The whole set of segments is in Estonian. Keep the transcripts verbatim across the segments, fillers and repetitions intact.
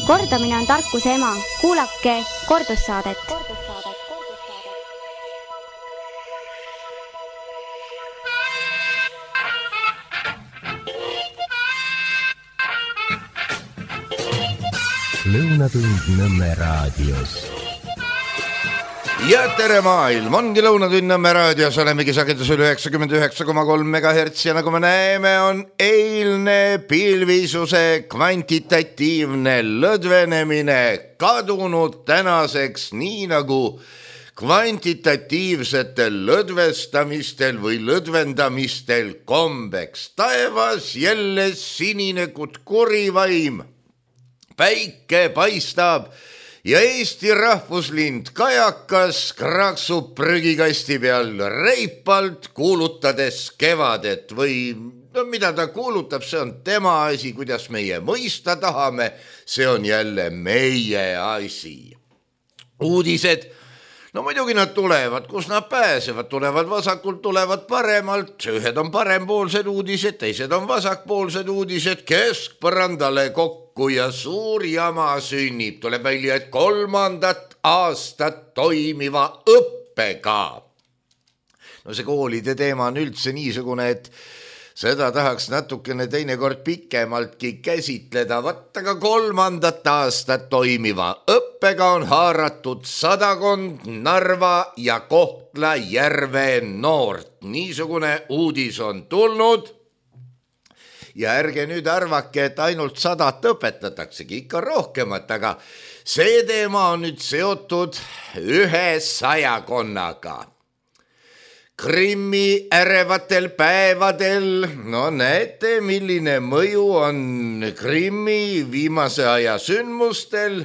Kordamine on tarkuse ema. Kuulake kordussaadet. Lõunatund Nõmme raadios. Ja tere maailm, ongi Lõunatund Nõmme raadios, olemegi sagedusel üheksakümmend üheksa koma kolm megahertsi ja nagu me näeme, on eilne pilvisuse kvantitatiivne lõdvenemine kadunud tänaseks, nii nagu kvantitatiivsetel lõdvestamistel või lõdvendamistel kombeks. Taevas jälle sinine kui kurivaim. Päike paistab ja Eesti rahvuslind kajakas kraksub prügikasti peal reipalt kuulutades kevadet või no, mida ta kuulutab, see on tema asi, kuidas meie mõista tahame, see on jälle meie asi. Uudised, no muidugi nad tulevad, kus nad pääsevad, tulevad vasakult, tulevad paremalt, ühed on parempoolsed uudised, teised on vasakpoolsed uudised, keskpõrandale kokku ja suur jama sünnib, tuleb välja, et kolmandat aastat toimiva õppega. No see koolide teema on üldse niisugune, et seda tahaks natukene teinekord pikemaltki käsitleda, vaata ka kolmandat aastat toimiva õppega on haaratud sadakond Narva ja Kohtla-Järve noort. Niisugune uudis on tulnud. Ja ärge nüüd arvake, et ainult sadat õpetataksegi, ikka rohkemat, aga see teema on nüüd seotud ühe sajakonnaga. Krimmi ärevatel päevadel, no näete, milline mõju on Krimmi viimase aja sündmustel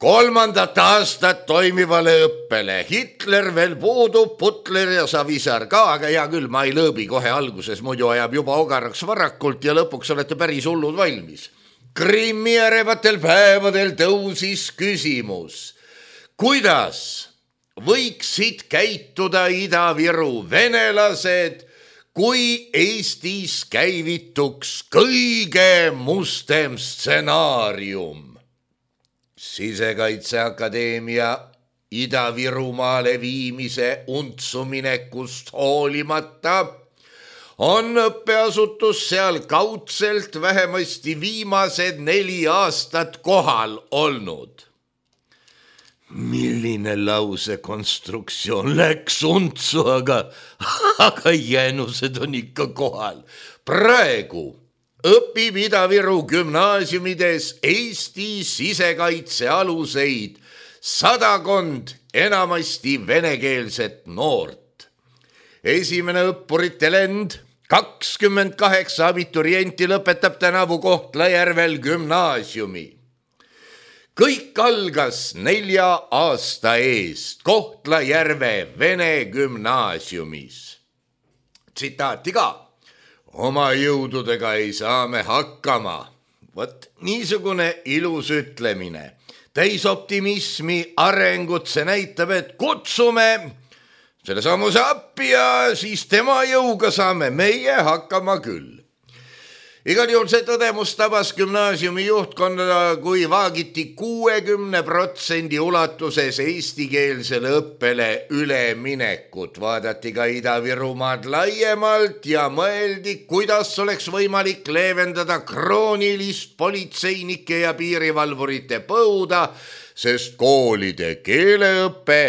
kolmandat aastat toimivale õppele. Hitler veel puudub, Putler ja Savisaar ka, aga hea küll, ma ei lõõbi kohe alguses, muidu ajab juba ogaraks varakult ja lõpuks olete päris hullud valmis. Krimmi ärevatel päevadel tõusis küsimus, kuidas võiksid käituda Ida-Viru venelased, kui Eestis käivituks kõige mustem stsenaarium. Sisekaitseakadeemia Ida-Virumaale viimise untsuminekust hoolimata on õppeasutus seal kaudselt vähemasti viimased neli aastat kohal olnud. Milline lause konstruktsioon läks untsu, aga, aga jäänused on ikka kohal. Praegu õpib Ida-Viru gümnaasiumides Eesti sisekaitse aluseid sadakond enamasti venekeelset noort. Esimene õppurite lend, kakskümmend kaheksa abiturienti lõpetab tänavu Kohtla-Järvel gümnaasiumi. Kõik algas nelja aasta eest Kohtla-Järve vene gümnaasiumis. Tsitaati ka. Oma jõududega ei saa me hakkama. Vot niisugune ilus ütlemine. Täis optimismi arengut see näitab, et kutsume selle sammuse appi ja siis tema jõuga saame meie hakkama küll. Igal juhul see tõdemus tabas gümnaasiumi juhtkonda, kui vaagiti kuuekümne protsendi ulatuses eestikeelsele õppele üleminekut. Vaadati ka Ida-Virumaad laiemalt ja mõeldi, kuidas oleks võimalik leevendada kroonilist politseinike ja piirivalvurite põuda, sest koolide keeleõppe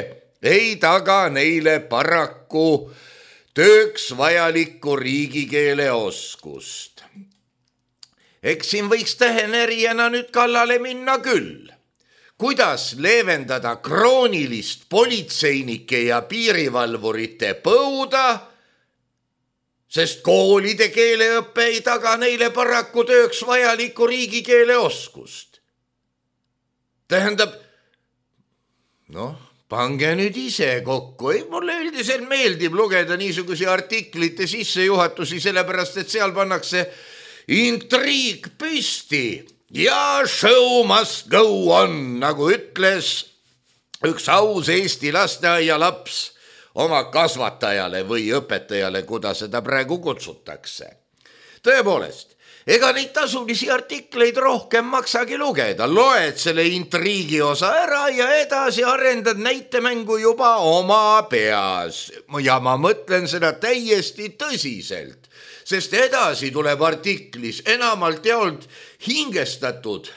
ei taga neile paraku tööks vajalikku riigikeele oskust. Eks siin võiks tähenerijana nüüd kallale minna küll. Kuidas leevendada kroonilist politseinike ja piirivalvurite põuda, sest koolide keeleõppe ei taga neile paraku tööks vajalikku riigikeele oskust. Tähendab, noh, pange nüüd ise kokku. Ei, mulle üldiselt meeldib lugeda niisugusi artiklite sissejuhatusi, sellepärast et seal pannakse intriig püsti ja show must go on, nagu ütles üks aus Eesti lasteaia laps oma kasvatajale või õpetajale, kuda seda praegu kutsutakse. tõepoolest, ega neid tasulisi artikleid rohkem maksagi lugeda, loed selle intriigi osa ära ja edasi arendad näitemängu juba oma peas. Ja ma mõtlen seda täiesti tõsiselt, sest edasi tuleb artiklis enamalt jaolt hingestatud,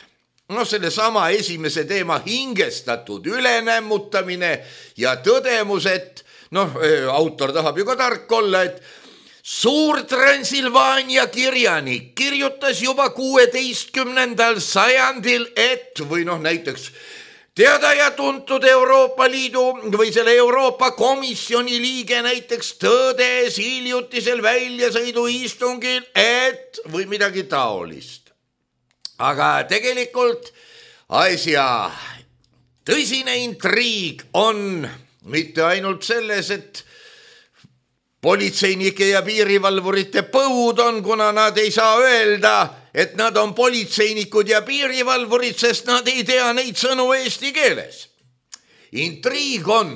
no selle sama esimese teema hingestatud ülenämmutamine ja tõdemus, et noh, autor tahab ju ka tark olla, et suur Transilvaania kirjanik kirjutas juba kuueteistkümnendal sajandil, et või noh näiteks teada ja tuntud Euroopa Liidu või selle Euroopa Komisjoni liige näiteks tõdes hiljutisel väljasõiduistungil, et või midagi taolist. Aga tegelikult asja tõsine intriig on mitte ainult selles, et politseinike ja piirivalvurite põud on, kuna nad ei saa öelda, et nad on politseinikud ja piirivalvurid, sest nad ei tea neid sõnu eesti keeles. Intriig on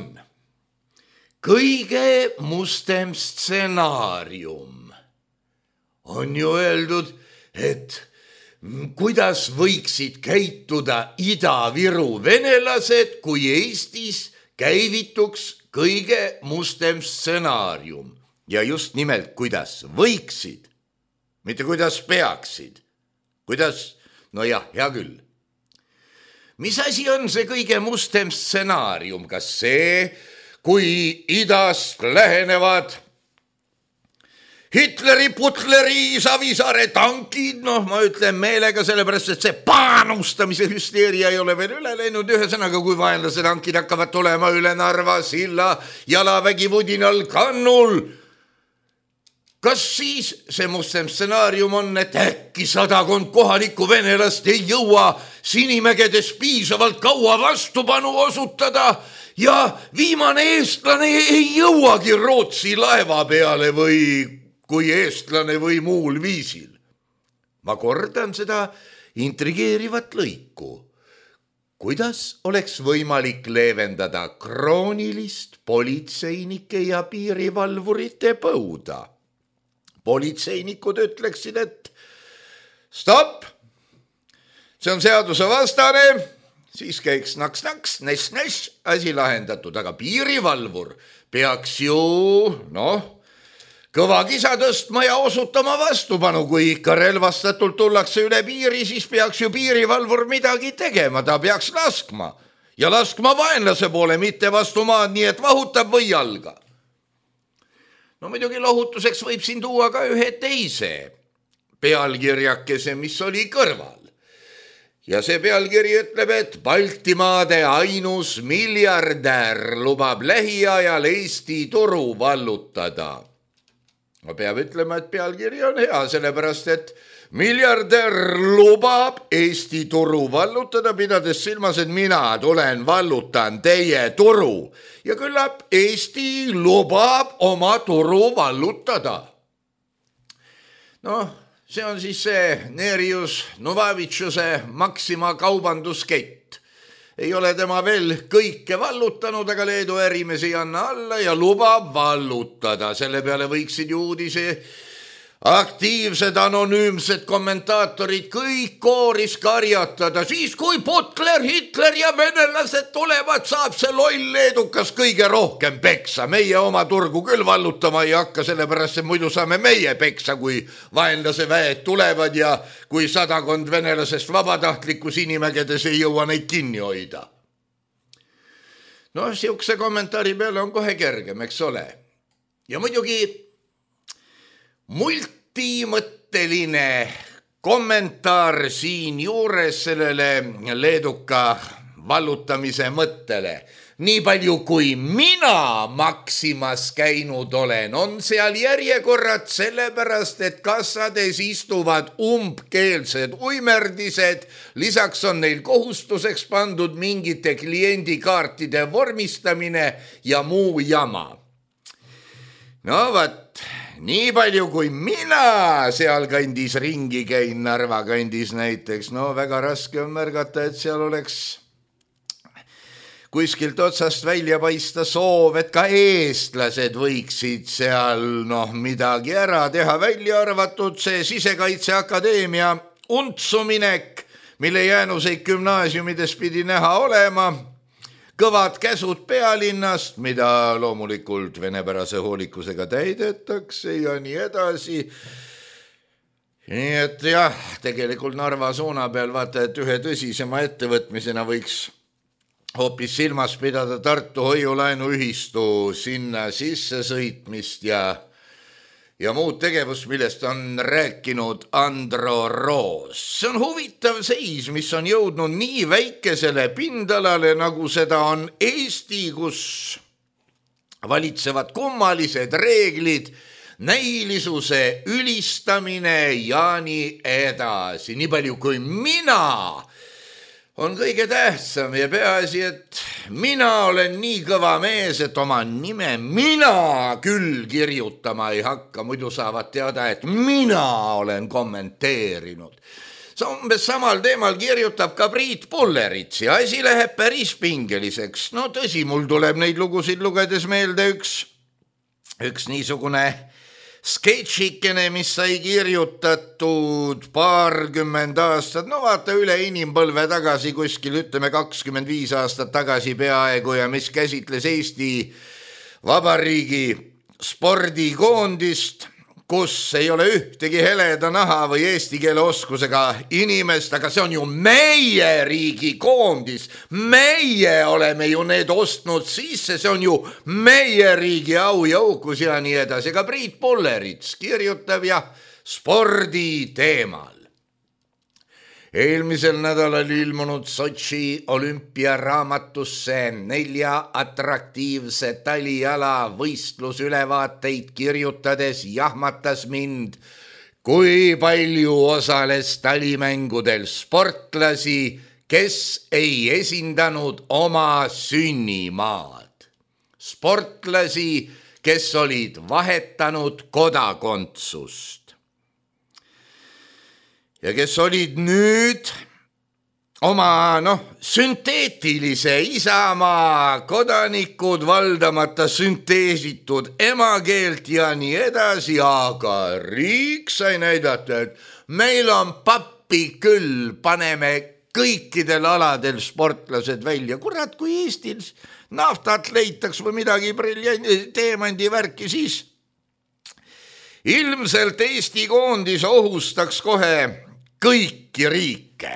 kõige mustem stsenaarium. On ju öeldud, et kuidas võiksid käituda Ida-Viru venelased, kui Eestis käivituks kõige mustem stsenaarium. Ja just nimelt, kuidas võiksid, mitte kuidas peaksid. Kuidas, no jah, hea küll. Mis asi on see kõige mustem stsenaarium? Kas see, kui idast lähenevad Hitleri, Putleri, Savisaare tankid, noh, ma ütlen meelega sellepärast, et see panustamise hüsteeria ei ole veel üle läinud. Ühesõnaga, kui vaenlase tankid hakkavad tulema üle Narva silla jalavägi vudinal kannul, kas siis see mustem stsenaarium on, et äkki sadakond kohalikku venelast ei jõua Sinimägedes piisavalt kaua vastupanu osutada ja viimane eestlane ei jõuagi Rootsi laeva peale või kui eestlane või muul viisil. Ma kordan seda intrigeerivat lõiku. Kuidas oleks võimalik leevendada kroonilist politseinike ja piirivalvurite põuda? Politseinikud ütleksid, et stopp, see on seaduse vastane, siis käiks naks-naks, näss-näss, asi lahendatud, aga piirivalvur peaks ju, noh, kõva kisa tõstma ja osutama vastupanu, kui ikka relvastatult tullakse üle piiri, siis peaks ju piirivalvur midagi tegema, ta peaks laskma ja laskma vaenlase poole, mitte vastu maad, nii et vahutab või jalga. No muidugi lohutuseks võib siin tuua ka ühe teise pealkirjakese, mis oli kõrval. Ja see pealkiri ütleb, et Baltimaade ainus miljardär lubab lähiajal Eesti turu vallutada. Ma peab ütlema, et pealkiri on hea, sellepärast, et miljardär lubab Eesti turu vallutada, pidades silmas, et mina tulen vallutan teie turu. Ja küllap Eesti lubab oma turu vallutada. Noh, see on siis see Neerius Novavitšuse Maxima kaubanduskett. Ei ole tema veel kõike vallutanud, aga Leedu ärimees ei anna alla ja lubab vallutada. Selle peale võiksid ju uudise aktiivsed anonüümsed kommentaatorid kõik kooris karjatada. Siis kui Putler, Hitler ja venelased tulevad, saab see loll leedukas kõige rohkem peksa. Meie oma turgu küll vallutama ei hakka, sellepärast et muidu saame meie peksa, kui vaenlase väed tulevad ja kui sadakond venelasest vabatahtlikku Sinimägedes ei jõua neid kinni hoida. No, siukse kommentaari peale on kohe kergem, eks ole. Ja muidugi multimõtteline kommentaar siin juures sellele leeduka vallutamise mõttele. Nii palju kui mina Maximas käinud olen, on seal järjekorrad sellepärast, et kassades istuvad umbkeelsed uimerdised. Lisaks on neil kohustuseks pandud mingite kliendikaartide vormistamine ja muu jama. No vat, nii palju kui mina seal kandis ringi käin, Narva kandis näiteks, no väga raske on märgata, et seal oleks kuskilt otsast välja paista soov, et ka eestlased võiksid seal noh midagi ära teha, välja arvatud see Sisekaitseakadeemia untsuminek, mille jäänuseid gümnaasiumides pidi näha olema, kõvad käsud pealinnast, mida loomulikult venepärase hoolikusega täidetakse ja nii edasi. Nii et jah, tegelikult Narva suuna peal vaata, et ühe tõsisema ettevõtmisena võiks hoopis silmas pidada Tartu hoiulaenuühistu sinna sisse sõitmist ja, ja muud tegevust, millest on rääkinud Andro Roos. See on huvitav seis, mis on jõudnud nii väikesele pindalale, nagu seda on Eesti, kus valitsevad kummalised reeglid, näilisuse ülistamine ja nii edasi. Nii palju kui mina on kõige tähtsam ja peaasi, et mina olen nii kõva mees, et oma nime mina küll kirjutama ei hakka, muidu saavad teada, et mina olen kommenteerinud. See umbes samal teemal kirjutab ka Priit Pullerits ja asi läheb päris pingeliseks. No tõsi, mul tuleb neid lugusid lugedes meelde üks, üks niisugune sketšikene, mis sai kirjutatud paarkümmend aastat, no vaata üle inimpõlve tagasi kuskil, ütleme kakskümmend viis aastat tagasi peaaegu ja mis käsitles Eesti Vabariigi spordikoondist, kus ei ole ühtegi heleda naha või eesti keele oskusega inimest, aga see on ju meie riigi koondis. Meie oleme ju need ostnud sisse, see on ju meie riigi au ja uhkus ja nii edasi. Ka Priit Pullerits kirjutab ja spordi teemal. Eelmisel nädalal ilmunud Sotši olümpiaraamatusse nelja atraktiivse taliala võistlusülevaateid kirjutades jahmatas mind, kui palju osales talimängudel sportlasi, kes ei esindanud oma sünnimaad. Sportlasi, kes olid vahetanud kodakondsust. Ja kes olid nüüd oma noh, sünteetilise isamaa kodanikud, valdamata sünteesitud emakeelt ja nii edasi, aga riik sai näidata, et meil on pappi küll, paneme kõikidel aladel sportlased välja. Kurat, kui Eestil naftat leitaks või midagi briljanti, teemandi värki, siis ilmselt Eesti koondis ohustaks kohe kõiki riike.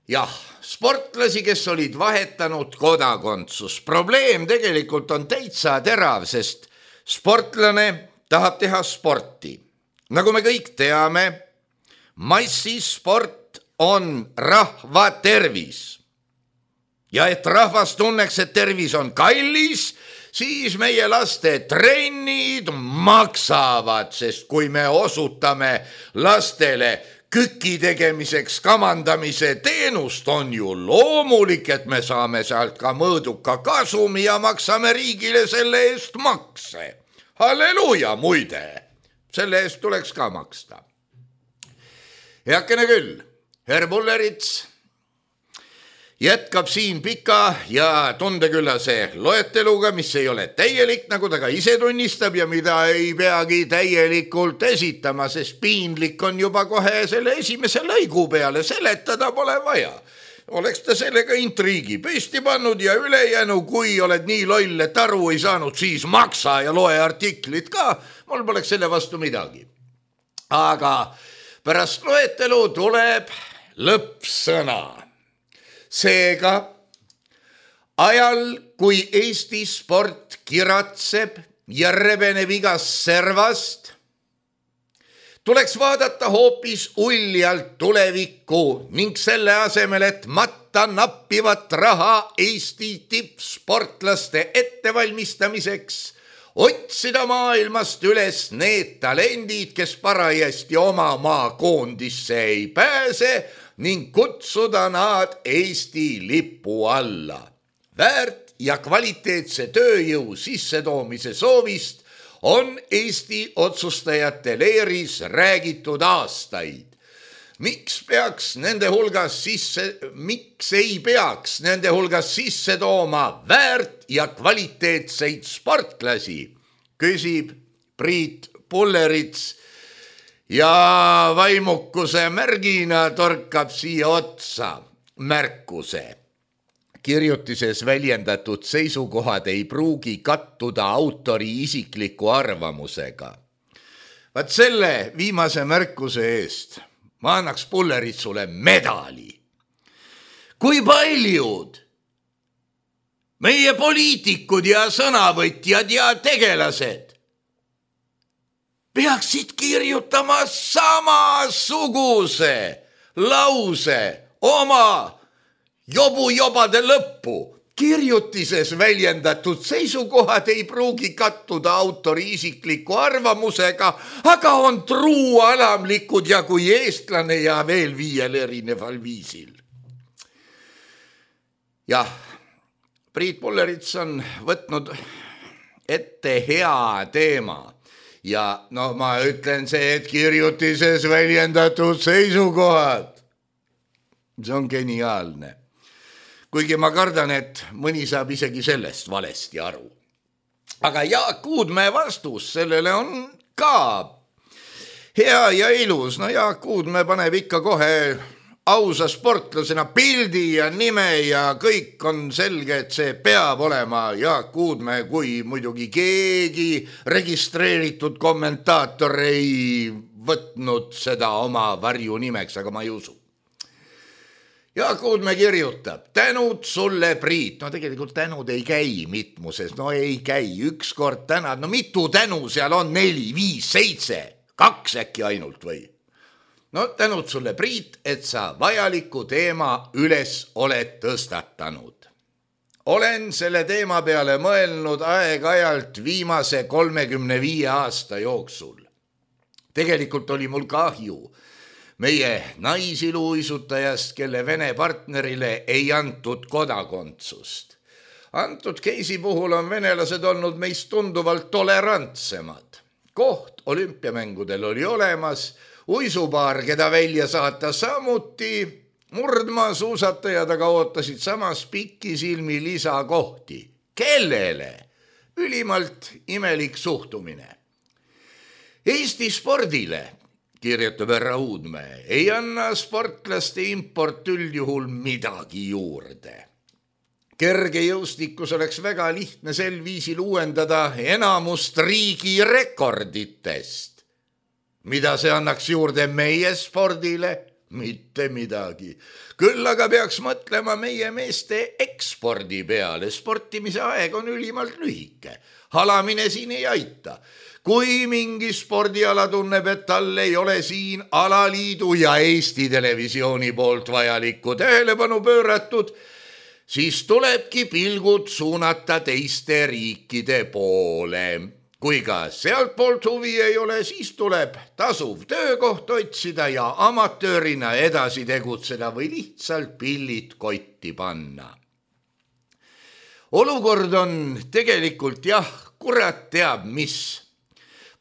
Jah, sportlasi, kes olid vahetanud kodakondsus. Probleem tegelikult on täitsa terav, sest sportlane tahab teha sporti. Nagu me kõik teame, massisport on rahva tervis. Ja et rahvas tunneks, et tervis on kallis, siis meie laste trennid maksavad, sest kui me osutame lastele küki tegemiseks kamandamise teenust, on ju loomulik, et me saame sealt ka mõõduka kasumi ja maksame riigile selle eest makse. Halleluuja, muide, selle eest tuleks ka maksta. Heakene küll, herr Pullerits jätkab siin pika ja tundeküllase loeteluga, mis ei ole täielik, nagu ta ka ise tunnistab ja mida ei peagi täielikult esitama, sest piinlik on juba kohe selle esimese lõigu peale, seletada pole vaja. Oleks ta sellega intriigi püsti pannud ja ülejäänu, kui oled nii loll, et aru ei saanud, siis maksa ja loe artiklit ka, mul poleks selle vastu midagi. Aga pärast loetelu tuleb lõppsõna. Seega, ajal, kui Eesti sport kiratseb ja rebeneb igast servast, tuleks vaadata hoopis uljalt tulevikku ning selle asemel, et matta nappivat raha Eesti tippsportlaste ettevalmistamiseks, otsida maailmast üles need talendid, kes parajasti oma maa koondisse ei pääse, ning kutsuda nad Eesti lipu alla. Väärt ja kvaliteetse tööjõu sissetoomise soovist on Eesti otsustajate leeris räägitud aastaid. miks peaks nende hulgas sisse, miks ei peaks nende hulgas sisse tooma väärt ja kvaliteetseid sportlasi, küsib Priit Pullerits ja vaimukuse märgina torkab siia otsa märkuse. Kirjutises väljendatud seisukohad ei pruugi kattuda autori isikliku arvamusega. Vaat selle viimase märkuse eest ma annaks Pulleritsule medali. Kui paljud meie poliitikud ja sõnavõtjad ja tegelased peaksid kirjutama samasuguse lause oma jobu-jobade lõppu. Kirjutises väljendatud seisukohad ei pruugi kattuda autori isikliku arvamusega, aga on truu alamlikud ja kui eestlane ja veel viiel erineval viisil. Jah, Priit Pullerits on võtnud ette hea teema. Ja no ma ütlen see, et kirjutises väljendatud seisukohad. See on geniaalne. Kuigi ma kardan, et mõni saab isegi sellest valesti aru. Aga Jaak Uudmäe vastus sellele on ka hea ja ilus. No Jaak Uudmäe paneb ikka kohe ausa sportlasena pildi ja nime ja kõik on selge, et see peab olema Jaak Uudmäe, kui muidugi keegi registreeritud kommentaator ei võtnud seda oma varju nimeks, aga ma ei usu. Jaak Uudmäe kirjutab, tänud sulle, Priit. No tegelikult tänud ei käi mitmuses, no ei käi, üks kord tänad, no mitu tänu seal on, neli, viis, seitse, kaks äkki ainult või? No tänud sulle, Priit, et sa vajaliku teema üles oled tõstatanud. Olen selle teema peale mõelnud aeg-ajalt viimase kolmekümne viie aasta jooksul. Tegelikult oli mul kahju meie naisiluisutajast, kelle Vene partnerile ei antud kodakondsust. Antud keisi puhul on venelased olnud meist tunduvalt tolerantsemad. Koht olümpiamängudel oli olemas, uisupaar, keda välja saata samuti, murdmaa suusatajad aga ootasid samas pikisilmi lisakohti. Kellele? Ülimalt imelik suhtumine. Eesti spordile, kirjutab härra Uudmäe, ei anna sportlaste import üldjuhul midagi juurde. Kergejõustikus oleks väga lihtne sel viisil uuendada enamust riigi rekorditest. Mida see annaks juurde meie spordile? Mitte midagi. Küll aga peaks mõtlema meie meeste ekspordi peale. Sportimise aeg on ülimalt lühike. Halamine siin ei aita. Kui mingi spordiala tunneb, et tal ei ole siin alaliidu ja Eesti Televisiooni poolt vajalikku tähelepanu pööratud, siis tulebki pilgud suunata teiste riikide poole. Kui ka sealt poolt huvi ei ole, siis tuleb tasuv töökoht otsida ja amatöörina edasi tegutseda või lihtsalt pillid kotti panna. Olukord on tegelikult jah, kurat teab mis.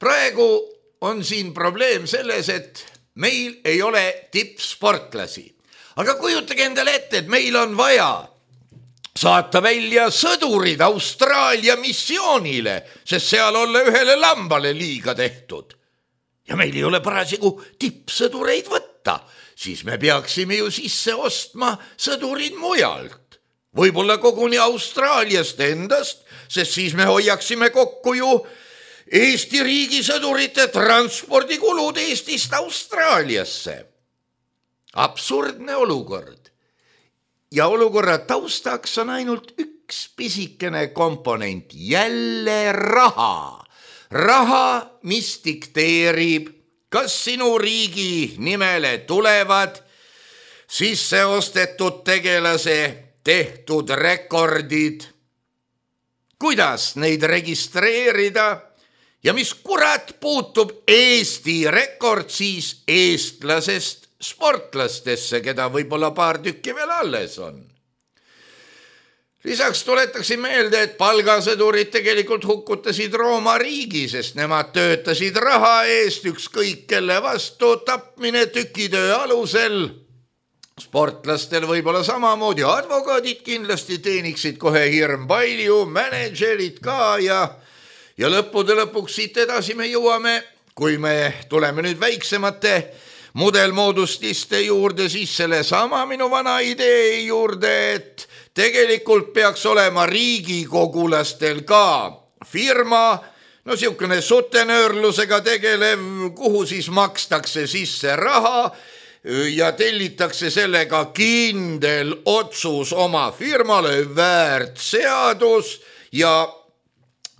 Praegu on siin probleem selles, et meil ei ole tippsportlasi. Aga kujutage endale ette, et meil on vaja saata välja sõdurid Austraalia missioonile, sest seal olla ühele lambale liiga tehtud. Ja meil ei ole parasjagu tippsõdureid võtta, siis me peaksime ju sisse ostma sõdurid mujalt. Võib-olla koguni Austraaliast endast, sest siis me hoiaksime kokku ju Eesti riigi sõdurite transpordikulud Eestist Austraaliasse. Absurdne olukord. Ja olukorra taustaks on ainult üks pisikene komponent, jälle raha. Raha, mis dikteerib, kas sinu riigi nimele tulevad sisse ostetud tegelase tehtud rekordid, kuidas neid registreerida ja mis kurat puutub Eesti rekord siis eestlasest sportlastesse, keda võib-olla paar tükki veel alles on. Lisaks tuletaksin meelde, et palgasõdurid tegelikult hukkutasid Rooma riigi, sest nemad töötasid raha eest ükskõik kelle vastu, tapmine tükitöö alusel. Sportlastel võib-olla samamoodi, advokaadid kindlasti teeniksid kohe hirm palju, managerid ka ja, ja lõppude lõpuks siit edasi me jõuame, kui me tuleme nüüd väiksemate mudelmoodustiste juurde, siis selle sama minu vana idee juurde, et tegelikult peaks olema riigikogulastel ka firma, no siukene sutenöörlusega tegelev, kuhu siis makstakse sisse raha ja tellitakse sellega kindel otsus oma firmale, väärt seadus ja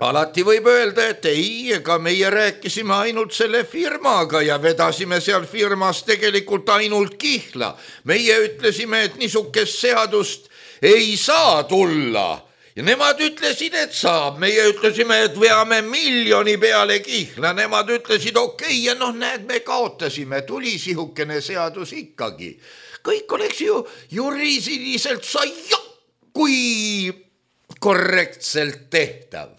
alati võib öelda, et ei, ega meie rääkisime ainult selle firmaga ja vedasime seal firmas tegelikult ainult kihla. Meie ütlesime, et niisugust seadust ei saa tulla ja nemad ütlesid, et saab. Meie ütlesime, et veame miljoni peale kihla. Nemad ütlesid, okei, okay, ja noh, näed, me kaotasime, tuli sihukene seadus ikkagi. Kõik oleks ju juriidiliselt saia, kui korrektselt tehtav.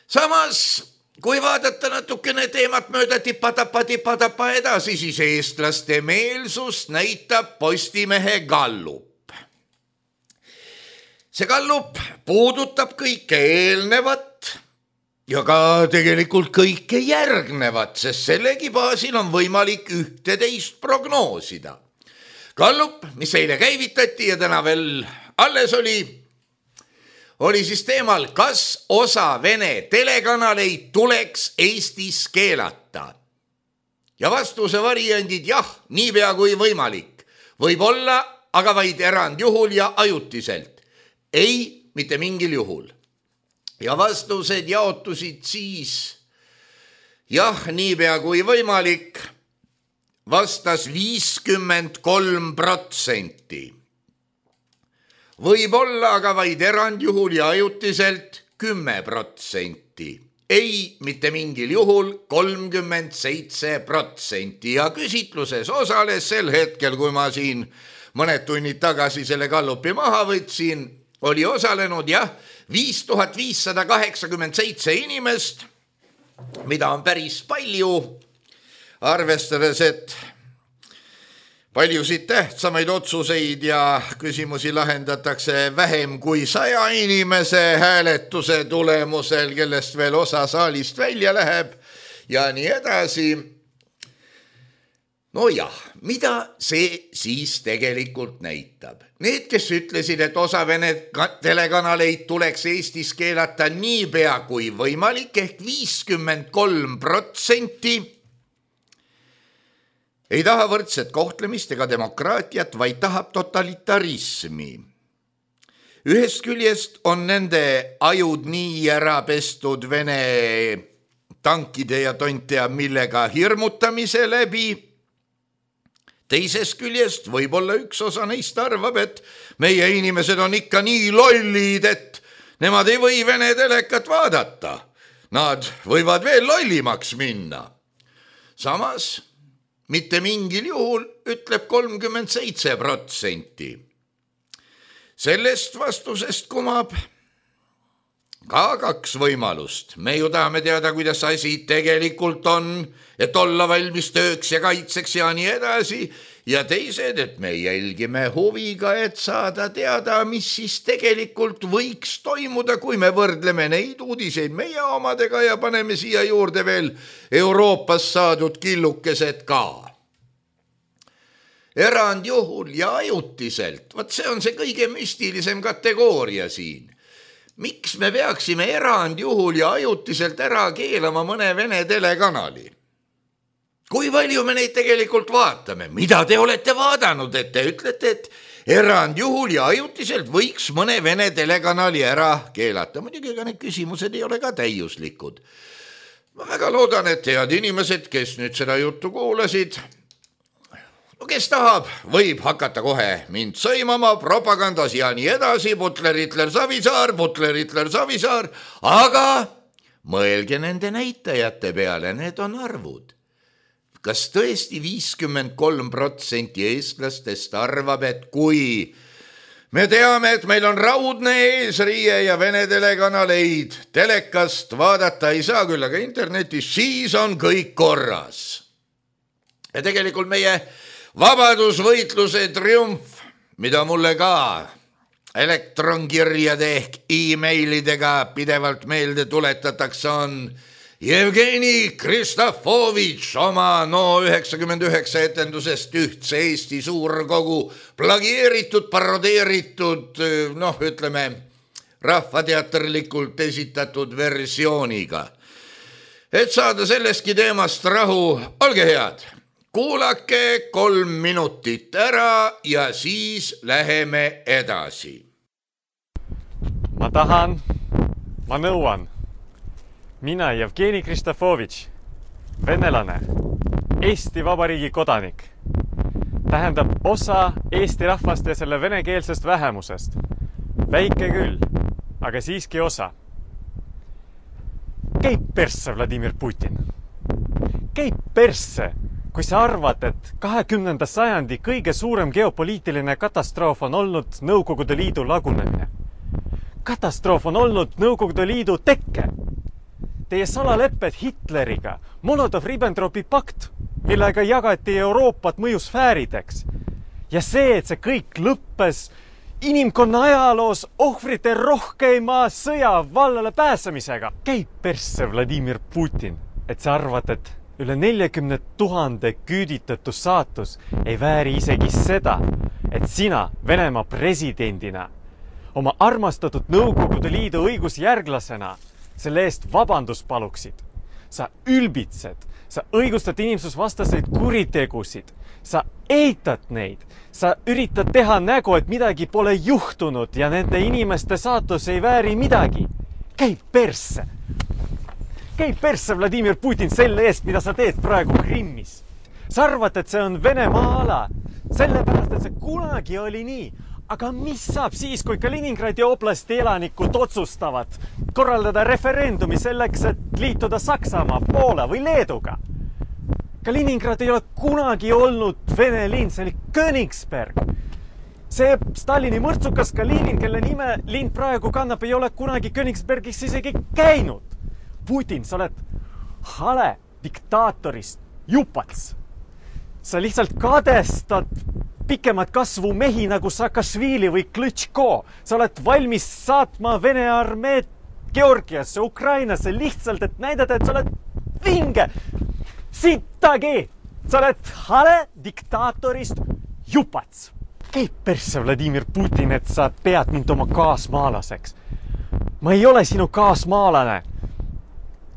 Samas, kui vaadata natukene teemat mööda tipa-tapa-tipa-tapa edasi, siis eestlaste meelsust näitab Postimehe gallup. See gallup puudutab kõike eelnevat ja ka tegelikult kõike järgnevat, sest sellegi baasil on võimalik ühteteist prognoosida. Gallup, mis eile käivitati ja täna veel alles oli, oli siis teemal, kas osa Vene telekanaleid tuleks Eestis keelata. Ja vastuse variandid jah, niipea kui võimalik. Võib olla, aga vaid erandjuhul ja ajutiselt. Ei, mitte mingil juhul. Ja vastused jaotusid siis, jah, niipea kui võimalik, vastas viiskümmend kolm protsenti. Võib olla aga vaid erandjuhul ja ajutiselt kümme protsenti. Ei, mitte mingil juhul kolmkümmend seitse protsenti. Ja küsitluses osales sel hetkel, kui ma siin mõned tunnid tagasi selle gallupi maha võtsin, oli osalenud jah, viis tuhat viissada kaheksakümmend seitse inimest, mida on päris palju, arvestades, et paljusid tähtsamaid otsuseid ja küsimusi lahendatakse vähem kui saja inimese hääletuse tulemusel, kellest veel osa saalist välja läheb ja nii edasi. No jah, mida see siis tegelikult näitab? Need, kes ütlesid, et osa Vene telekanaleid tuleks Eestis keelata niipea kui võimalik, ehk viiskümmend kolm protsenti, ei taha võrdset kohtlemist ega demokraatiat, vaid tahab totalitarismi. Ühest küljest on nende ajud nii ära pestud Vene tankide ja tontea millega hirmutamise läbi. Teisest küljest võib-olla üks osa neist arvab, et meie inimesed on ikka nii lollid, et nemad ei või Vene telekat vaadata. Nad võivad veel lollimaks minna. Samas, mitte mingil juhul ütleb kolmkümmend seitse protsenti. Sellest vastusest kumab ka kaks võimalust. Me ju tahame teada, kuidas asi tegelikult on, et olla valmis tööks ja kaitseks ja nii edasi. Ja teised, et me jälgime huviga, et saada teada, mis siis tegelikult võiks toimuda, kui me võrdleme neid uudiseid meie omadega ja paneme siia juurde veel Euroopas saadud killukesed ka. Erandjuhul ja ajutiselt, vaat see on see kõige müstilisem kategooria siin. Miks me peaksime erandjuhul ja ajutiselt ära keelama mõne Vene telekanali? Kui palju me neid tegelikult vaatame? Mida te olete vaadanud, et te ütlete, et erandjuhul ja ajutiselt võiks mõne Vene telekanali ära keelata? Muidugi ega need küsimused ei ole ka täiuslikud. Ma väga loodan, et head inimesed, kes nüüd seda juttu kuulasid, no kes tahab, võib hakata kohe mind sõimama propagandas ja nii edasi, Butler, Hitler, Savisaar, Butler, Hitler, Savisaar, aga mõelge nende näitajate peale, need on arvud. Kas tõesti viiskümmend kolm protsenti eestlastest arvab, et kui me teame, et meil on raudne eesriie ja Vene telekanaleid telekast vaadata ei saa küll, aga internetis siis on kõik korras. Ja tegelikult meie vabadusvõitluse triumf, mida mulle ka elektronkirjade ehk e-mailidega pidevalt meelde tuletatakse, on Jevgeni Kristofovitš oma no üheksakümmend üheksa etendusest Ühtse Eesti suurkogu plagieeritud, parodeeritud, noh ütleme, rahvateaterlikult esitatud versiooniga. Et saada sellestki teemast rahu, olge head, kuulake kolm minutit ära ja siis läheme edasi. Ma tahan, ma nõuan. Mina Jevgeni Kristofovitš, venelane, Eesti Vabariigi kodanik, tähendab osa Eesti rahvast ja selle venekeelsest vähemusest. Väike küll, aga siiski osa. Käib persse, Vladimir Putin. Käib persse, kui sa arvad, et kahekümnenda sajandi kõige suurem geopoliitiline katastroof on olnud Nõukogude Liidu lagunemine. Katastroof on olnud Nõukogude Liidu tekke. Teie salalepped Hitleriga, Molotov-Ribbentropi pakt, millega jagati Euroopat mõjusfäärideks. Ja see, et see kõik lõppes inimkonna ajaloos ohvrite rohkeima sõja vallale pääsemisega. Käib persse, Vladimir Putin, et sa arvad, et üle neljakümne tuhande küüditatu saatus ei vääri isegi seda, et sina Venemaa presidendina, oma armastatud Nõukogude Liidu õigusjärglasena selle eest vabandus paluksid. Sa ülbitsed, sa õigustad inimsusvastaseid kuritegusid, sa eitad neid, sa üritad teha nägu, et midagi pole juhtunud ja nende inimeste saatus ei vääri midagi. Käib persse. Käib persse, Vladimir Putin, selle eest, mida sa teed praegu Krimmis. Sa arvad, et see on Venemaa ala, sellepärast, et see kunagi oli nii. Aga mis saab siis, kui Kaliningradi oblasti elanikud otsustavad korraldada referendumi selleks, et liituda Saksamaa, Poola või Leeduga? Kaliningrad ei ole kunagi olnud Vene linn, see oli Königsberg. See Stalini mõrtsukas Kalinin, kelle nime linn praegu kannab, ei ole kunagi Königsbergis isegi käinud. Putin, sa oled hale diktaatorist jupats. Sa lihtsalt kadestad pikemat kasvu mehi nagu Saakašvili või Klõtško. Sa oled valmis saatma Vene armeed Georgiasse, Ukrainasse lihtsalt, et näidata, et sa oled vinge. Sittagi! Sa oled hale diktaatorist jupats. Käib persse, Vladimir Putin, et sa pead mind oma kaasmaalaseks. Ma ei ole sinu kaasmaalane.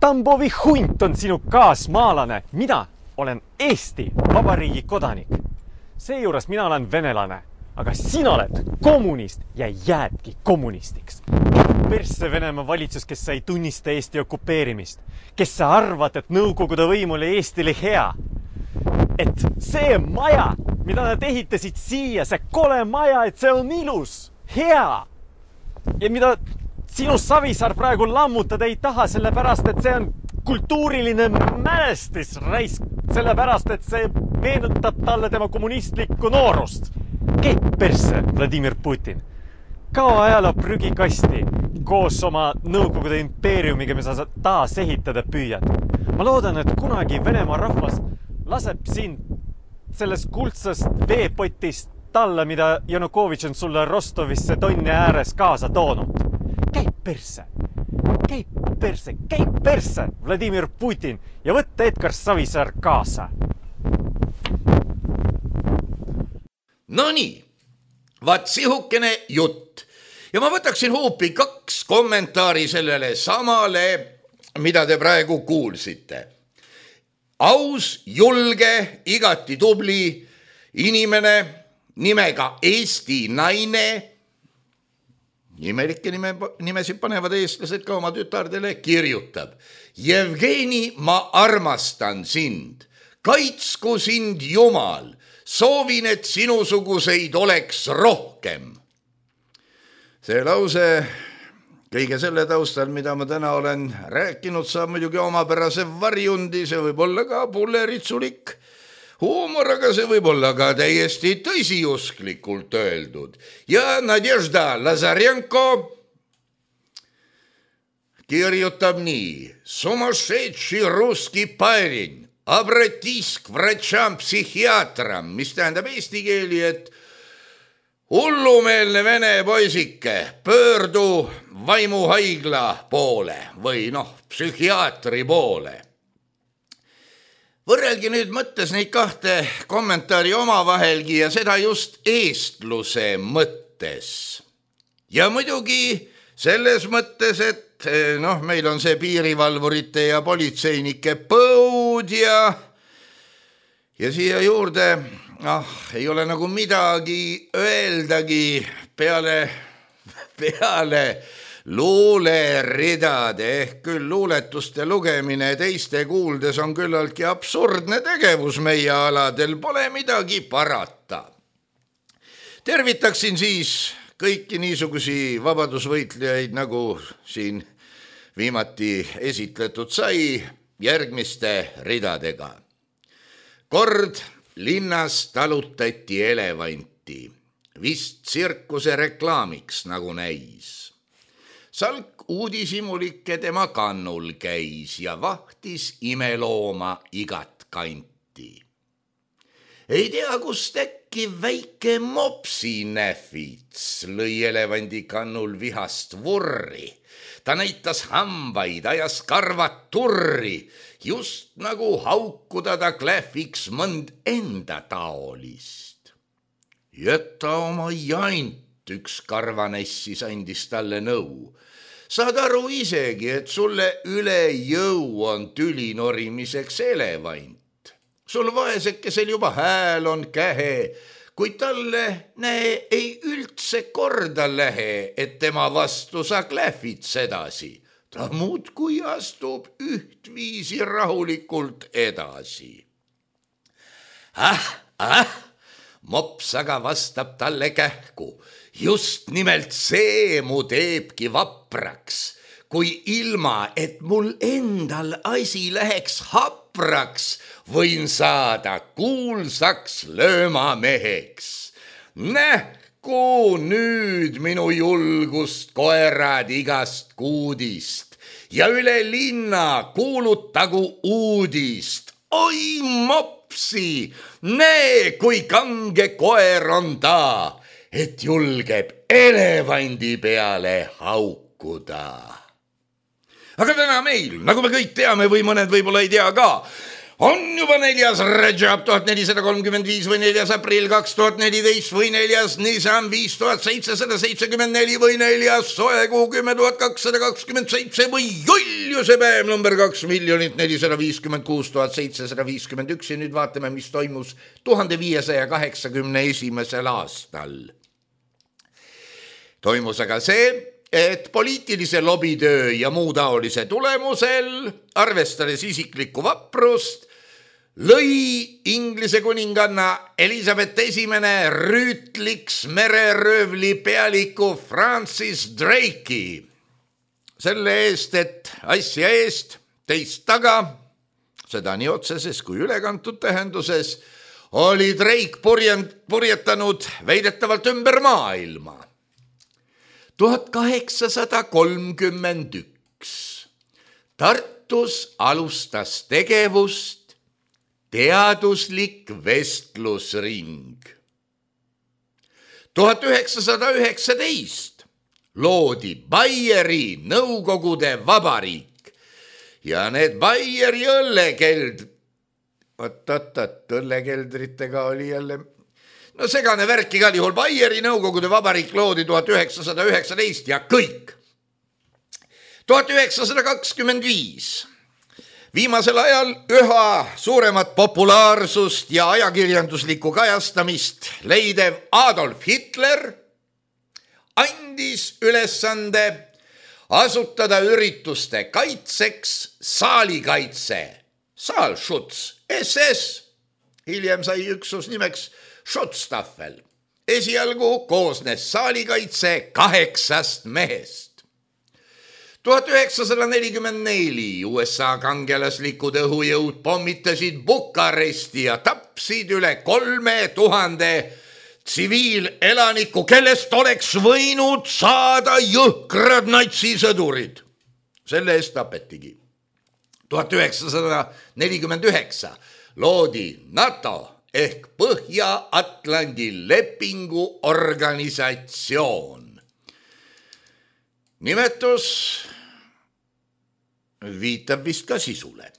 Tambovi hunt on sinu kaasmaalane. Mina olen Eesti Vabariigi kodanik. Seejuures mina olen venelane, aga sina oled kommunist ja jäädki kommunistiks. Persse Venemaa valitsus, kes sa ei tunnista Eesti okupeerimist, kes sa arvad, et Nõukogude võim oli Eestile hea. Et see maja, mida nad ehitasid siia, see kole maja, et see on ilus, hea. Ja mida sinu Savisaar praegu lammutada ei taha, sellepärast, et see on kultuuriline mälestis raisk, sellepärast, et see meenutab talle tema kommunistlikku noorust. Käib persse, Vladimir Putin. Kao ajaloo prügikasti koos oma Nõukogude impeeriumiga, mis sa taas ehitada püüad. Ma loodan, et kunagi Venemaa rahvas laseb sind sellest kuldsest veepotist talla, mida Janukovitš on sulle Rostovisse Tonni ääres kaasa toonud. Käib persse. Käib persse, käib persse, Vladimir Putin, ja võtta Edgar Savisaar kaasa. No nii, vaat sihukene jutt. Ja ma võtaksin hoopi kaks kommentaari sellele samale, mida te praegu kuulsite. Aus, julge, igati tubli inimene nimega Eesti naine. Nimelikke nime, nimesid panevad eestlased ka oma tütardele, kirjutab. Jevgeni, ma armastan sind. Kaitsku sind Jumal. Soovin, et sinusuguseid oleks rohkem. See lause kõige selle taustal, mida ma täna olen rääkinud, saab muidugi omapärase varjundi, see võib olla ka pulleritsulik Huumor, aga see võib olla ka täiesti tõsiusklikult öeldud. Ja Nadežda Lazarenko kirjutab nii. Sumashedši ruski parень, обратись к врачам-психиатрам, mis tähendab eesti keeli, et hullumeelne vene poisike, pöördu vaimuhaigla poole või noh, psühhiaatri poole. Võrrelgi nüüd mõttes neid kahte kommentaari omavahelgi ja seda just eestluse mõttes. Ja muidugi selles mõttes, et noh, meil on see piirivalvurite ja politseinike põud ja, ja siia juurde ah, ei ole nagu midagi öeldagi peale, peale luuleridade ehk küll luuletuste lugemine teiste kuuldes on küllaltki absurdne tegevus meie aladel, pole midagi parata. Tervitaksin siis kõiki niisugusi vabadusvõitlejaid, nagu siin viimati esitletud sai, järgmiste ridadega. Kord linnas talutati elevanti, vist tsirkuse reklaamiks nagu näis. Salk uudishimulike tema kannul käis ja vahtis imelooma igat kanti. Ei tea, kust äkki väike mopsinäfits lõi elevandi kannul vihast vurri. Ta näitas hambaid, ajas karvad turri, just nagu haukuda ta klähviks mõnd enda taolist. Jäta oma jant, üks karvanessis andis talle nõu. Saad aru isegi, et sulle üle jõu on tüli norimiseks elevant. Sul vaesekesel juba hääl on kähe, kui talle näe ei üldse korda lähe, et tema vastu sa klähvits edasi. Ta muudkui astub ühtviisi rahulikult edasi. Ah, ah, mops aga vastab talle kähku. Just nimelt see mu teebki vapraks, kui ilma, et mul endal asi läheks hapraks, võin saada kuulsaks löömameheks. Nähku nüüd minu julgust koerad igast kuudist ja üle linna kuulutagu uudist. Oi mopsi, näe, kui kange koer on ta, et julgeb elevandi peale haukuda. Aga täna meil, nagu me kõik teame või mõned võib-olla ei tea ka, on juba neljas Rajab tuhat nelisada kolmkümmend viis või neljas aprill kaks tuhat neliteist või neljas Nisan viis tuhat seitsesada seitsekümmend neli või neljas soekuu kümme tuhat kakssada kakskümmend seitse või joljuse päev number kaks miljonit nelisada viiskümmend kuus tuhat seitsesada viiskümmend üks ja nüüd vaatame, mis toimus tuhande viiesaja kaheksakümne esimesel aastal. Toimus aga see, et poliitilise lobitöö ja muu taolise tulemusel, arvestades isiklikku vaprust, lõi Inglise kuninganna Elizabeth esimene rüütliks mereröövli pealiku Francis Drake'i. Selle eest, et asja eest, teist taga, seda nii otseses kui ülekantud tähenduses, oli Drake purjetanud väidetavalt ümber maailma. tuhat kaheksasada kolmkümmend üks. Tartus alustas tegevust teaduslik vestlusring. tuhat üheksasada üheksateist loodi Baieri Nõukogude Vabariik ja need Baieri õllekeld, oot-oot-oot, õllekeldritega oli jälle no segane värk igal juhul. Baieri Nõukogude Vabariik loodi tuhat üheksasada üheksateist ja kõik. tuhat üheksasada kakskümmend viis. Viimasel ajal üha suuremat populaarsust ja ajakirjanduslikku kajastamist leidev Adolf Hitler andis ülesande asutada ürituste kaitseks saalikaitse, Saalschutz, S S. Hiljem sai üksus nimeks Schutzstaffel. Esialgu koosnes saalikaitse kaheksast mehest. tuhat üheksasada nelikümmend neli U S A kangelaslikud õhujõud pommitasid Bukaresti ja tapsid üle kolme tuhande tsiviilelaniku, kellest oleks võinud saada jõhkrad natsisõdurid. Selle eest tapetigi. tuhat üheksasada nelikümmend üheksa loodi NATO ehk Põhja-Atlandi lepingu organisatsioon. Nimetus viitab vist ka sisule.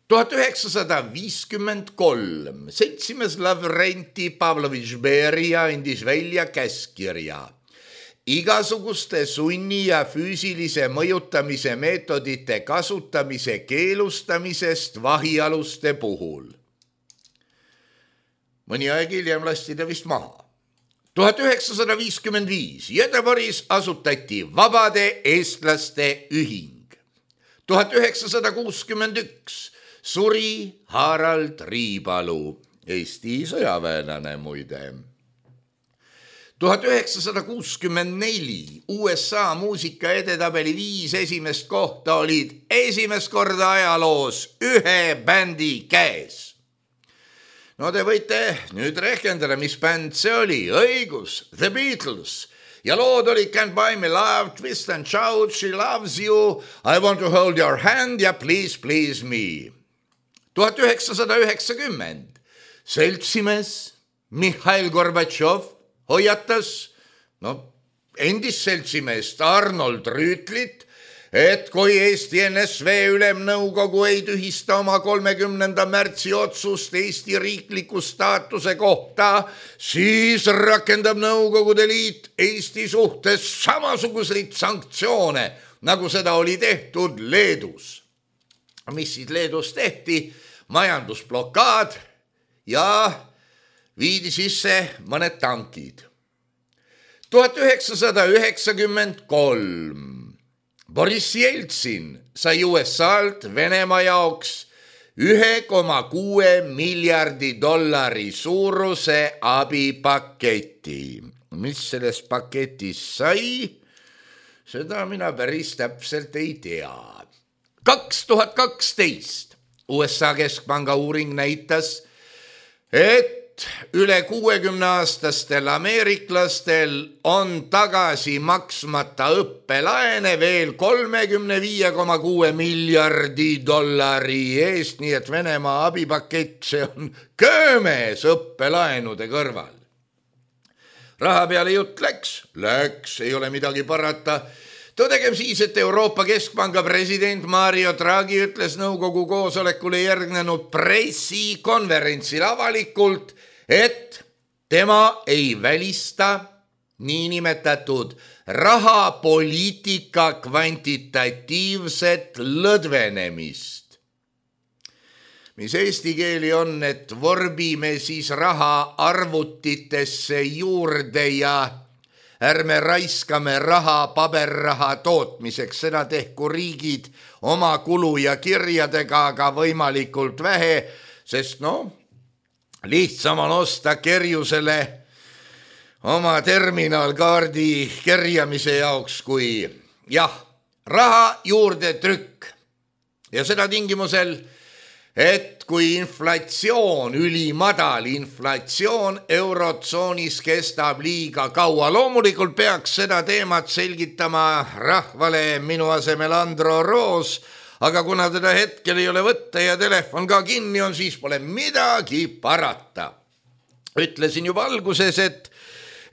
tuhat üheksasada viiskümmend kolm seltsimees Lavrenti Pavlovitš Beria andis välja käskkirja igasuguste sunni ja füüsilise mõjutamise meetodite kasutamise keelustamisest vahialuste puhul. Mõni aeg hiljem lasti ta vist maha. tuhat üheksasada viiskümmend viis Göteborgis asutati Vabade eestlaste ühing. tuhat üheksasada kuuskümmend üks suri Harald Riipalu, Eesti sõjaväelane muide. tuhat üheksasada kuuskümmend neli U S A muusika edetabeli viis esimest kohta olid esimest korda ajaloos ühe bändi käes. No te võite nüüd rehkendada, mis bänd see oli. Õigus, The Beatles. Ja lood oli Can't Buy Me Love, Twist and Shout, She Loves You, I Want to Hold Your Hand ja Please Please Me. tuhat üheksasada üheksakümmend seltsimees Mihhail Gorbatšov hoiatas no, endist seltsimeest Arnold Rüütlit, et kui Eesti N S V ülemnõukogu ei tühista oma kolmekümnenda märtsi otsust Eesti riikliku staatuse kohta, siis rakendab Nõukogude Liit Eesti suhtes samasuguseid sanktsioone, nagu seda oli tehtud Leedus. Mis siis Leedus tehti? Majandusblokaad ja viidi sisse mõned tankid. tuhat üheksasada üheksakümmend kolm Boris Jeltsin sai U S A-lt Venemaa jaoks ühe koma kuue miljardi dollari suuruse abipaketi. Mis selles paketis sai? Seda mina päris täpselt ei tea. kaks tuhat kaksteist U S A keskpanga uuring näitas, et üle kuuekümne aastastel ameeriklastel on tagasi maksmata õppelaene veel kolmekümne viie koma kuue miljardi dollari eest, nii et Venemaa abipakett, see on köömes õppelaenude kõrval. Raha peale jutt läks, läks, ei ole midagi parata. Tõdegem siis, et Euroopa Keskpanga president Mario Draghi ütles nõukogu koosolekule järgnenud pressikonverentsil avalikult, et tema ei välista niinimetatud rahapoliitika kvantitatiivset lõdvenemist. Mis eesti keeli on, et vorbime siis raha arvutitesse juurde ja ärme raiskame raha paberraha tootmiseks, seda tehku riigid oma kulu ja kirjadega, aga võimalikult vähe, sest no, lihtsam on osta kerjusele oma terminalkaardi kerjamise jaoks kui jah, raha juurde trükk. Ja seda tingimusel, et kui inflatsioon, ülimadal inflatsioon eurotsoonis kestab liiga kaua. Loomulikult peaks seda teemat selgitama rahvale minu asemel Andro Roos, aga kuna teda hetkel ei ole võtta ja telefon ka kinni on, siis pole midagi parata. Ütlesin juba alguses, et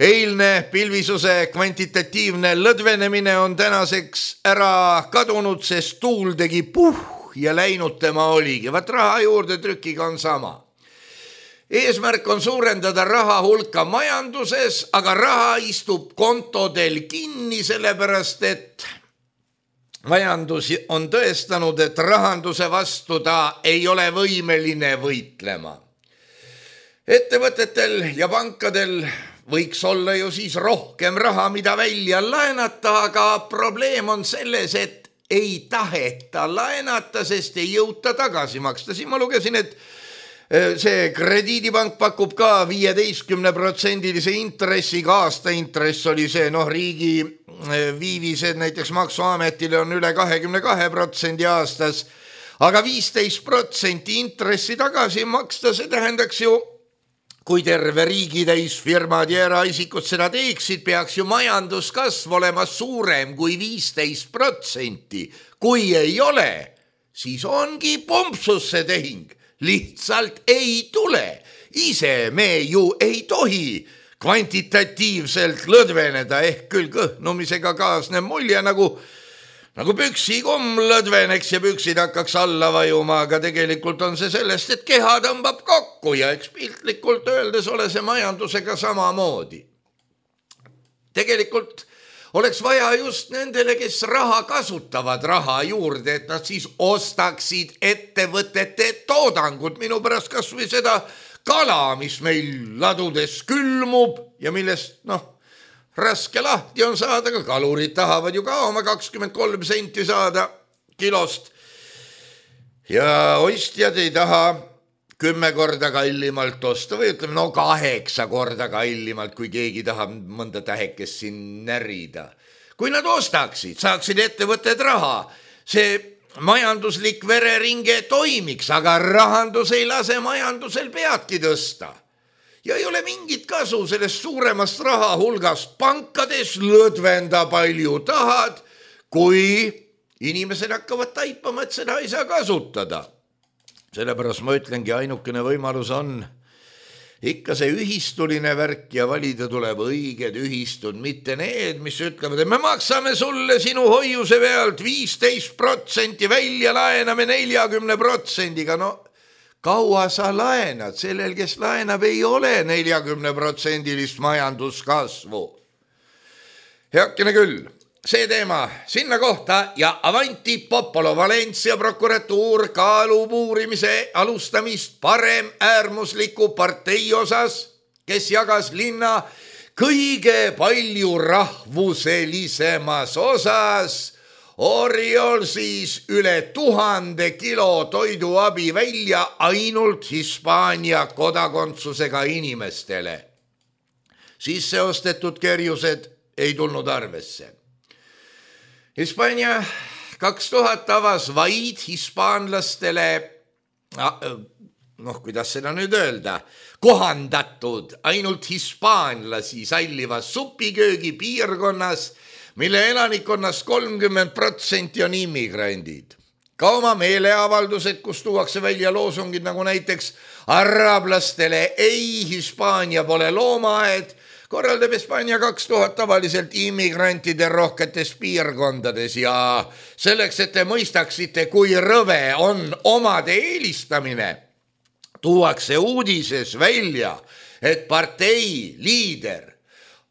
eilne pilvisuse kvantitatiivne lõdvenemine on tänaseks ära kadunud, sest tuul tegi puh ja läinud tema oligi. Vaat raha juurde trükiga on sama. Eesmärk on suurendada raha hulka majanduses, aga raha istub kontodel kinni, sellepärast et majandus on tõestanud, et rahanduse vastu ta ei ole võimeline võitlema. Ettevõtetel ja pankadel võiks olla ju siis rohkem raha, mida välja laenata, aga probleem on selles, et ei taheta laenata, sest ei jõuta tagasi maksta. Siin ma lugesin, et see krediidipank pakub ka viieteistkümne protsendilise intressiga, aasta intress oli see, noh, riigi viivised näiteks Maksuametile on üle kahekümne kahe protsendi aastas, aga viisteist protsenti intressi tagasi maksta, see tähendaks ju, kui terve riigitäis firmad ja eraisikud seda teeksid, peaks ju majanduskasv olema suurem kui viisteist protsenti. Kui ei ole, siis ongi pumpsus see tehing. Lihtsalt ei tule. Ise me ju ei tohi kvantitatiivselt lõdveneda, ehk küll kõhnumisega kaasne mulje nagu, nagu püksikumm lõdveneks ja püksid hakkaks alla vajuma, aga tegelikult on see sellest, et keha tõmbab kokku ja eks piltlikult öeldes ole see majandusega samamoodi. Tegelikult oleks vaja just nendele, kes raha kasutavad raha juurde, et nad siis ostaksid ettevõtete toodangut. Minu pärast kas või seda kala, mis meil ladudes külmub ja millest, noh, raske lahti on saada, ka kalurid tahavad ju ka oma kakskümmend kolm senti saada kilost. Ja ostjad ei taha kümme korda kallimalt osta või ütleme, no kaheksa korda kallimalt, kui keegi tahab mõnda tähekest siin närida. Kui nad ostaksid, saaksid ettevõtted raha, see majanduslik vereringe toimiks, aga rahandus ei lase majandusel peadki tõsta. Ja ei ole mingit kasu sellest suuremast raha hulgast pankades, lõdvenda palju tahad, kui inimesed hakkavad taipama, et seda ei saa kasutada. Sellepärast ma ütlengi, ainukene võimalus on ikka see ühistuline värk ja valida tuleb õiged ühistud, mitte need, mis ütlevad, et me maksame sulle sinu hoiuse pealt viisteist protsenti välja, laename neljakümne protsendiga. No kaua sa laenad? Sellel, kes laenab, ei ole neljakümne protsendilist majanduskasvu. Heakene küll. See teema sinna kohta ja Avanti Popolo Valencia prokuratuur kaalub uurimise alustamist parem äärmusliku partei osas, kes jagas linna kõige palju rahvuselisemas osas Oriol siis üle tuhande kilo toiduabi välja ainult Hispaania kodakondsusega inimestele. Sisse ostetud kerjused ei tulnud arvesse. Hispaania kaks tuhat avas vaid hispaanlastele, noh, kuidas seda nüüd öelda, kohandatud ainult hispaanlasi sallivas supiköögi piirkonnas, mille elanikkonnast kolmkümmend protsenti on immigrandid. Ka oma meeleavaldused, kus tuuakse välja loosungid nagu näiteks arablastele ei, Hispaania pole loomaaed, korraldab Hispaania kaks tuhat tavaliselt immigrantide rohketes piirkondades ja selleks, et te mõistaksite, kui rõve on omade eelistamine, tuuakse uudises välja, et partei liider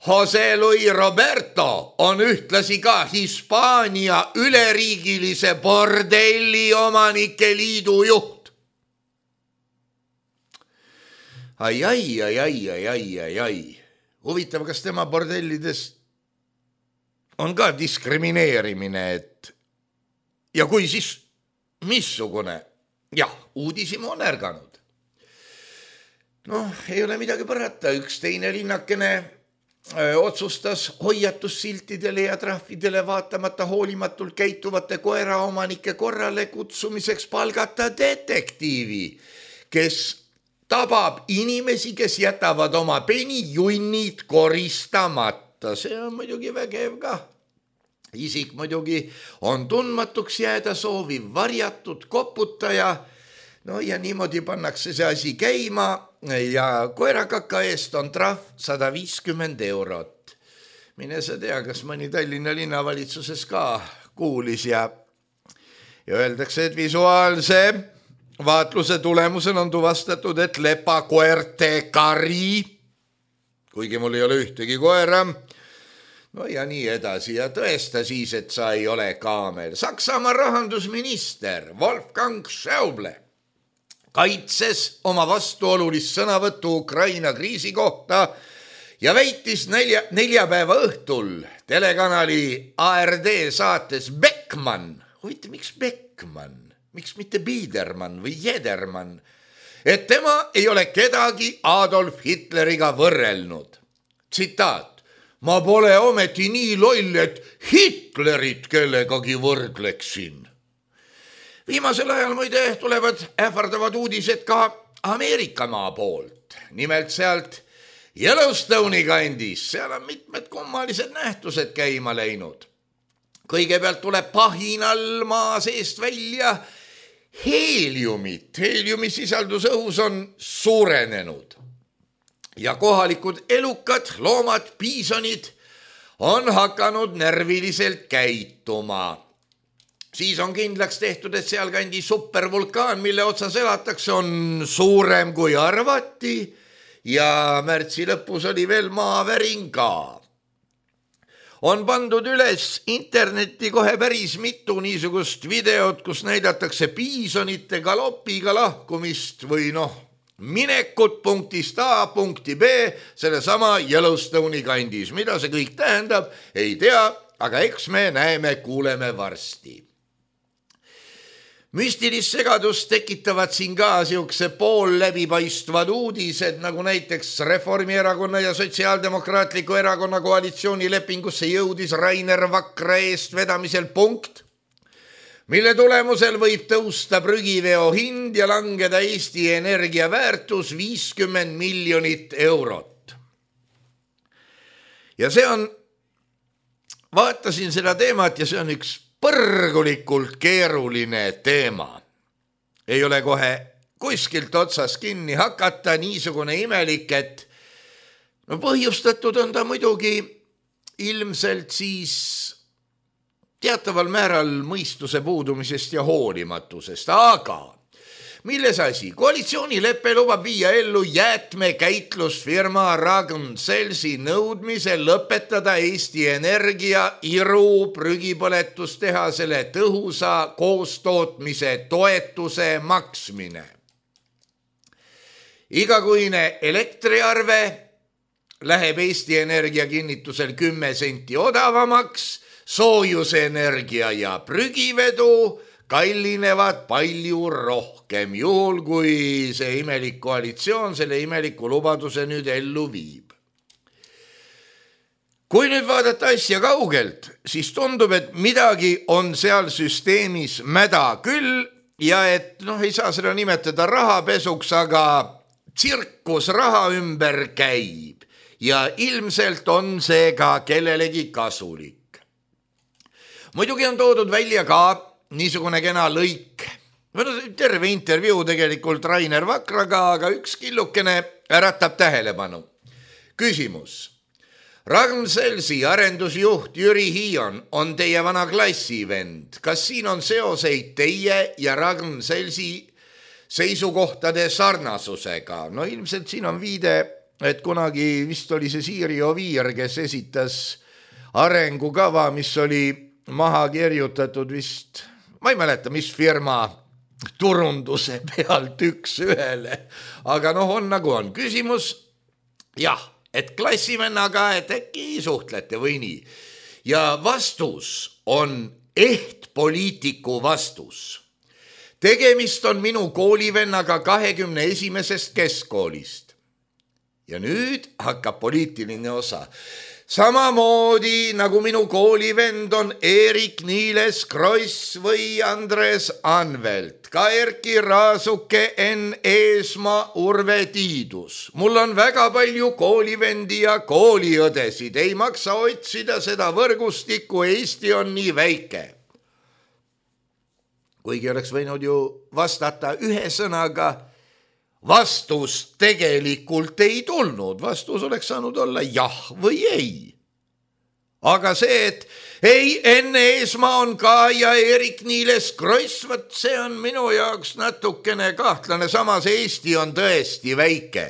Jose Luis Roberto on ühtlasi ka Hispaania üleriigilise bordelli omanike liidu juht. Ai, ai, ai, ai, ai, ai, ai, ai. Huvitav, kas tema bordellides on ka diskrimineerimine, et ja kui siis missugune? Jah, uudisime on ärganud. Noh, ei ole midagi parata, üks teine linnakene öö, otsustas hoiatussiltidele ja trahvidele vaatamata hoolimatult käituvate koeraomanike korrale kutsumiseks palgata detektiivi, kes tabab inimesi, kes jätavad oma penijunnid koristamata. See on muidugi vägev ka. Isik muidugi on tundmatuks jääda sooviv varjatud koputaja. No ja niimoodi pannakse see asi käima ja koerakaka eest on trahv sada viiskümmend eurot. Mine sa tea, kas mõni Tallinna linnavalitsuses ka kuulis ja, ja öeldakse, et visuaalse vaatluse tulemusel on tuvastatud, et lepakoerte kari, kuigi mul ei ole ühtegi koera, no ja nii edasi ja tõesta siis, et sa ei ole kaamel. Saksamaa rahandusminister Wolfgang Schäuble kaitses oma vastuolulist sõnavõttu Ukraina kriisi kohta ja väitis nelja, neljapäeva õhtul telekanali A R D saates Beckmann, huvitav, miks Beckmann? Miks mitte Biedermann või Jedermann, et tema ei ole kedagi Adolf Hitleriga võrrelnud. Tsitaat: ma pole ometi nii loll, et Hitlerit kellegagi võrdleksin. Viimasel ajal muide tulevad ähvardavad uudised ka Ameerikamaa poolt. Nimelt sealt Yellowstone'i kandis, seal on mitmed kummalised nähtused käima läinud. Kõigepealt tuleb pahinal maa seest välja heeliumit. Heeliumi sisaldus õhus on suurenenud. Ja kohalikud elukad, loomad, piisonid on hakanud närviliselt käituma. Siis on kindlaks tehtud, et seal kandi supervulkaan, mille otsas elatakse, on suurem kui arvati ja märtsi lõpus oli veel maavärin ka. On pandud üles internetti kohe päris mitu niisugust videot, kus näidatakse piisonite galopiga lahkumist või noh, minekut punktist A punkti B selle sama Yellowstone'i kandis. Mida see kõik tähendab, ei tea, aga eks me näeme, kuuleme varsti. Müstilist segadust tekitavad siin ka siukse pool läbipaistvad uudised, nagu näiteks Reformierakonna ja Sotsiaaldemokraatliku erakonna koalitsioonilepingusse jõudis Rainer Vakra eest vedamisel punkt, mille tulemusel võib tõusta prügiveo hind ja langeda Eesti Energia väärtus viiskümmend miljonit eurot. Ja see on, vaatasin seda teemat ja see on üks põrgulikult keeruline teema. Ei ole kohe kuskilt otsas kinni hakata, niisugune imelik, et no põhjustatud on ta muidugi ilmselt siis teataval määral mõistuse puudumisest ja hoolimatusest, aga milles asi? Koalitsioonilepe lubab viia ellu jäätmekäitlusfirma Ragn-Sellsi nõudmise lõpetada Eesti Energia Iru prügipõletustehasele tõhusa koostootmise toetuse maksmine. Igakuine elektriarve läheb Eesti Energia kinnitusel kümme senti odavamaks, soojusenergia ja prügivedu kallinevad palju rohkem, juhul kui see imelik koalitsioon selle imeliku lubaduse nüüd ellu viib. Kui nüüd vaadata asja kaugelt, siis tundub, et midagi on seal süsteemis mäda küll ja et noh, ei saa seda nimetada rahapesuks, aga tsirkus raha ümber käib ja ilmselt on see ka kellelegi kasulik. Muidugi on toodud välja ka niisugune kena lõik. Terve intervjuu tegelikult Rainer Vakraga, aga üks killukene äratab tähelepanu. Küsimus. Ragn-Sellsi arendusjuht Jüri Hiion on teie vana klassivend. Kas siin on seoseid teie ja Ragn-Sellsi seisukohtade sarnasusega? No ilmselt siin on viide, et kunagi vist oli see Siiri Oviir, kes esitas arengukava, mis oli maha kirjutatud vist, ma ei mäleta, mis firma turunduse pealt üks ühele, aga noh, on nagu on. Küsimus, jah, et klassivennaga, et äkki suhtlete või nii. Ja vastus on ehtpoliitiku vastus. Tegemist on minu koolivennaga kahekümne esimesest keskkoolist. Ja nüüd hakkab poliitiline osa. Samamoodi nagu minu koolivend on Erik Niiles Kross või Andres Anvelt, ka Erki Raasuke, Enn Eesmaa, Urve Tiidus. Mul on väga palju koolivendi ja kooliõdesid, ei maksa otsida seda võrgustikku, Eesti on nii väike. Kuigi oleks võinud ju vastata ühe sõnaga, vastus tegelikult ei tulnud, vastus oleks saanud olla jah või ei. Aga see, et ei, Enn Eesmaa on ka ja Erik Niiles Kross, võt see on minu jaoks natukene kahtlane, samas Eesti on tõesti väike.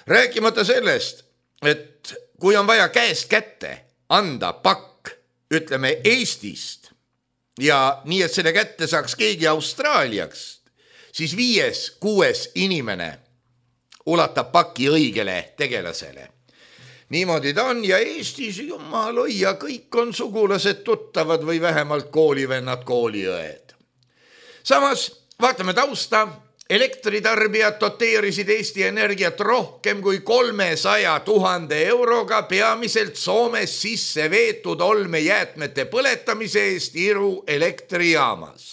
Rääkimata sellest, et kui on vaja käest kätte anda pakk, ütleme Eestist, ja nii, et selle kätte saaks keegi Austraaliaks, siis viies, kuues inimene ulatab paki õigele tegelasele. Niimoodi ta on ja Eestis jumal hoia, kõik on sugulased tuttavad või vähemalt koolivennad, kooliõed. Samas vaatame tausta Elektritarbijad doteerisid Eesti Energiat rohkem kui kolmesaja tuhande euroga peamiselt Soomes sisse veetud olmejäätmete põletamise eest Iru elektrijaamas.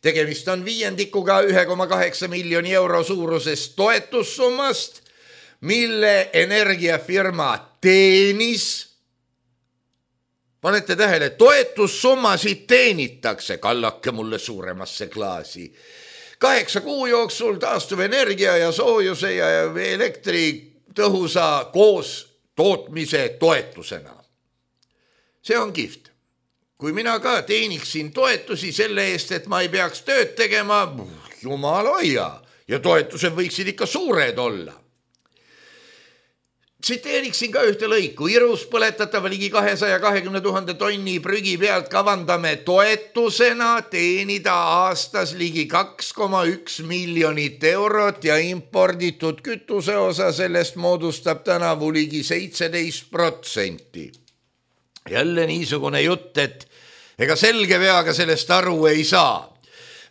Tegemist on viiendikuga ühe koma kaheksa miljoni euro suurusest toetussummast, mille energiafirma teenis. Panete tähele, toetussummasid teenitakse, kallake mulle suuremasse klaasi. Kaheksa kuu jooksul taastuvenergia ja soojuse ja elektri tõhusa koos tootmise toetusena. See on kihvt. Kui mina ka teeniksin toetusi selle eest, et ma ei peaks tööd tegema, jumal hoia, ja toetused võiksid ikka suured olla. Tsiteeriksin ka ühte lõiku. Irus põletatava ligi kahesaja kahekümne tuhande tonni prügi pealt kavandame toetusena teenida aastas ligi kaks koma üks miljonit eurot ja imporditud kütuse osa sellest moodustab tänavu ligi seitseteist protsenti. Jälle niisugune jutt, et ega selge peaga sellest aru ei saa.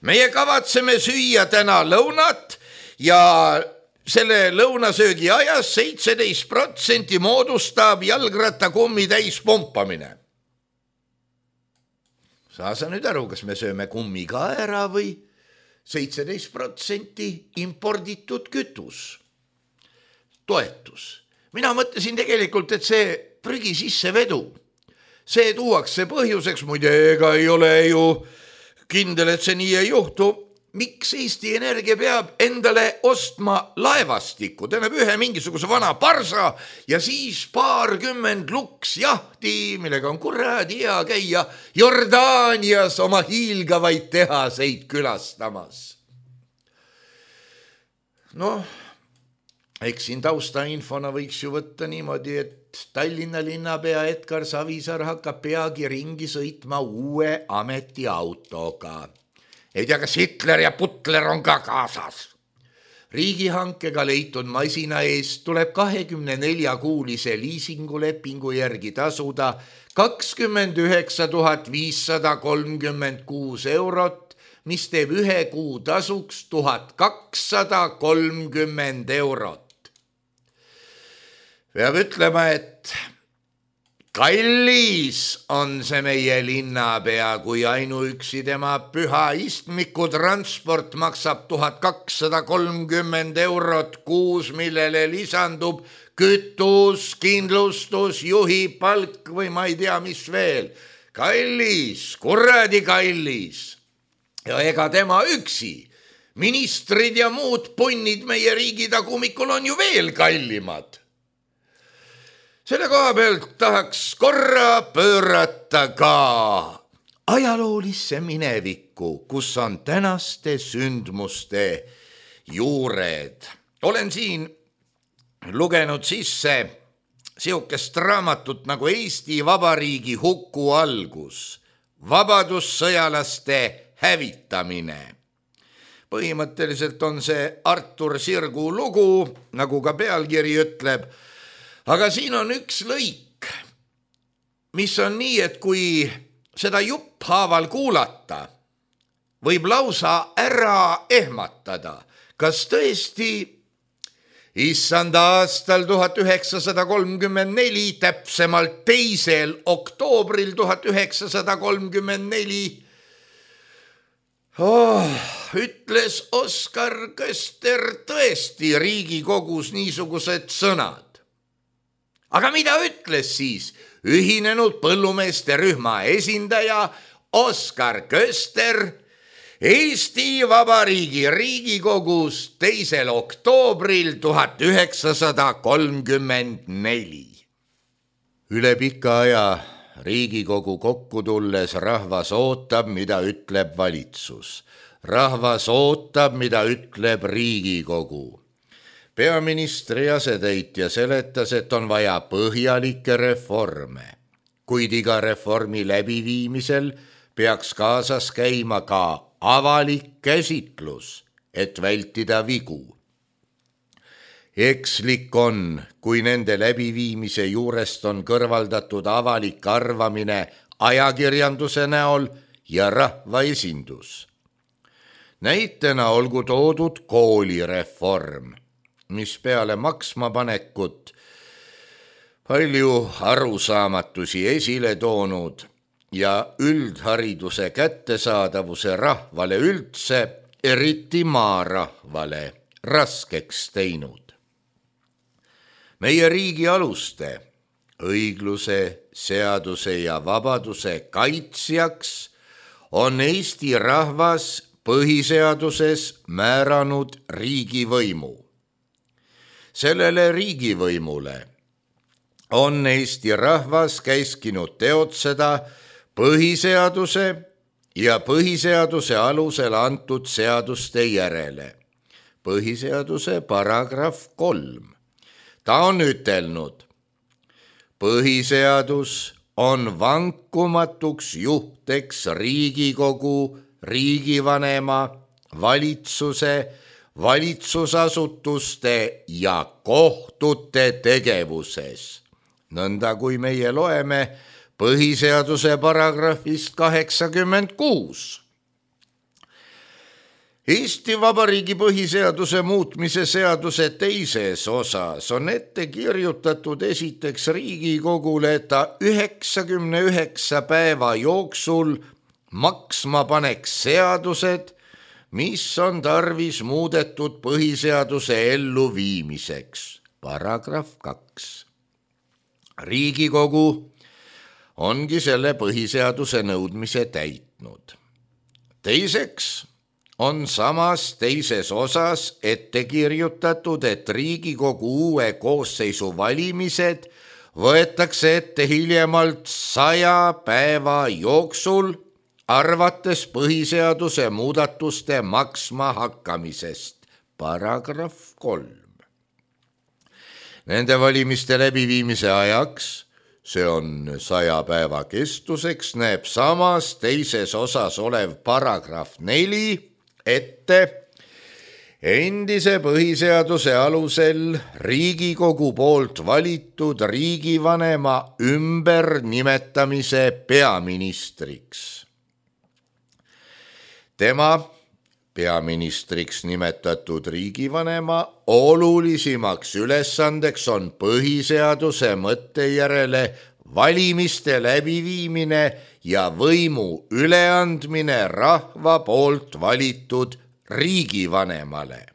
Meie kavatseme süüa täna lõunat ja selle lõunasöögi ajas seitseteist protsenti moodustab jalgrattakummi täis pumpamine. Saa sa nüüd aru, kas me sööme kummi ka ära või seitseteist protsenti imporditud kütus. Toetus. Mina mõtlesin tegelikult, et see prügi sisse vedu. See tuuakse põhjuseks, muide ega ei ole ju kindel, et see nii ei juhtu. Miks Eesti Energia peab endale ostma laevastikku, tähendab ühe mingisuguse vana parsa ja siis paarkümmend luks jahti, millega on kuradi hea käia Jordaanias oma hiilgavaid tehaseid külastamas. Noh, eks siin taustainfona võiks ju võtta niimoodi, et Tallinna linnapea Edgar Savisaar hakkab peagi ringi sõitma uue ametiautoga. Ei tea, kas Hitler ja Putler on ka kaasas. Riigihankega leitud masina eest tuleb kahekümne nelja kuulise liisingulepingu järgi tasuda kakskümmend üheksa tuhat viissada kolmkümmend kuus eurot, mis teeb ühe kuu tasuks tuhat kakssada kolmkümmend eurot. Peab ütlema, et kallis on see meie linnapea, kui ainuüksi tema püha istmiku transport maksab tuhat kakssada kolmkümmend eurot kuus, millele lisandub kütus, kindlustus, juhi palk või ma ei tea, mis veel. Kallis, kuradi kallis. Ja ega tema üksi. Ministrid ja muud punnid meie riigi tagumikul on ju veel kallimad. Selle koha pealt tahaks korra pöörata ka ajaloolisse minevikku, kus on tänaste sündmuste juured. Olen siin lugenud sisse siukest raamatut nagu Eesti Vabariigi huku algus, vabadussõjalaste hävitamine. Põhimõtteliselt on see Artur Sirgu lugu, nagu ka pealkiri ütleb, aga siin on üks lõik, mis on nii, et kui seda jupphaaval kuulata, võib lausa ära ehmatada, kas tõesti issand aastal tuhat üheksasada kolmkümmend neli, täpsemalt teisel oktoobril tuhat üheksasada kolmkümmend neli, oh, ütles Oskar Köster tõesti Riigikogus niisugused sõnad. Aga mida ütles siis ühinenud põllumeeste rühma esindaja Oskar Köster Eesti Vabariigi Riigikogus teisel oktoobril tuhat üheksasada kolmkümmend neli? Üle pika aja Riigikogu kokku tulles rahvas ootab, mida ütleb valitsus. Rahvas ootab, mida ütleb Riigikogu. Peaministri asetäitja seletas, et on vaja põhjalikke reforme, kuid iga reformi läbiviimisel peaks kaasas käima ka avalik käsitlus, et vältida vigu. Ekslik on, kui nende läbiviimise juurest on kõrvaldatud avalik arvamine ajakirjanduse näol ja rahvaesindus. Näitena olgu toodud koolireform, mis peale maksma panekut palju arusaamatusi esile toonud ja üldhariduse kättesaadavuse rahvale üldse, eriti maarahvale, raskeks teinud. Meie riigi aluste, õigluse, seaduse ja vabaduse kaitsjaks on Eesti rahvas põhiseaduses määranud riigivõimu. Sellele riigivõimule on Eesti rahvas käskinud teotseda põhiseaduse ja põhiseaduse alusel antud seaduste järele. Põhiseaduse paragrahv kolm. Ta on ütelnud, põhiseadus on vankumatuks juhteks Riigikogu, riigivanema, valitsuse, valitsusasutuste ja kohtute tegevuses. Nõnda kui meie loeme põhiseaduse paragrahvist kaheksakümmend kuus. Eesti Vabariigi põhiseaduse muutmise seaduse teises osas on ette kirjutatud esiteks Riigikogule, et ta üheksakümne üheksa päeva jooksul maksma paneks seadused, mis on tarvis muudetud põhiseaduse elluviimiseks. Paragrahv kaks. Riigikogu ongi selle põhiseaduse nõudmise täitnud. Teiseks on samas teises osas ette kirjutatud, et Riigikogu uue koosseisu valimised võetakse ette hiljemalt saja päeva jooksul, arvates põhiseaduse muudatuste maksma hakkamisest. Paragrahv kolm. Nende valimiste läbiviimise ajaks, see on saja päeva kestuseks, näeb samas teises osas olev paragrahv neli ette endise põhiseaduse alusel Riigikogu poolt valitud riigivanema ümbernimetamise peaministriks. Tema peaministriks nimetatud riigivanema olulisimaks ülesandeks on põhiseaduse mõtte järele valimiste läbiviimine ja võimu üleandmine rahva poolt valitud riigivanemale.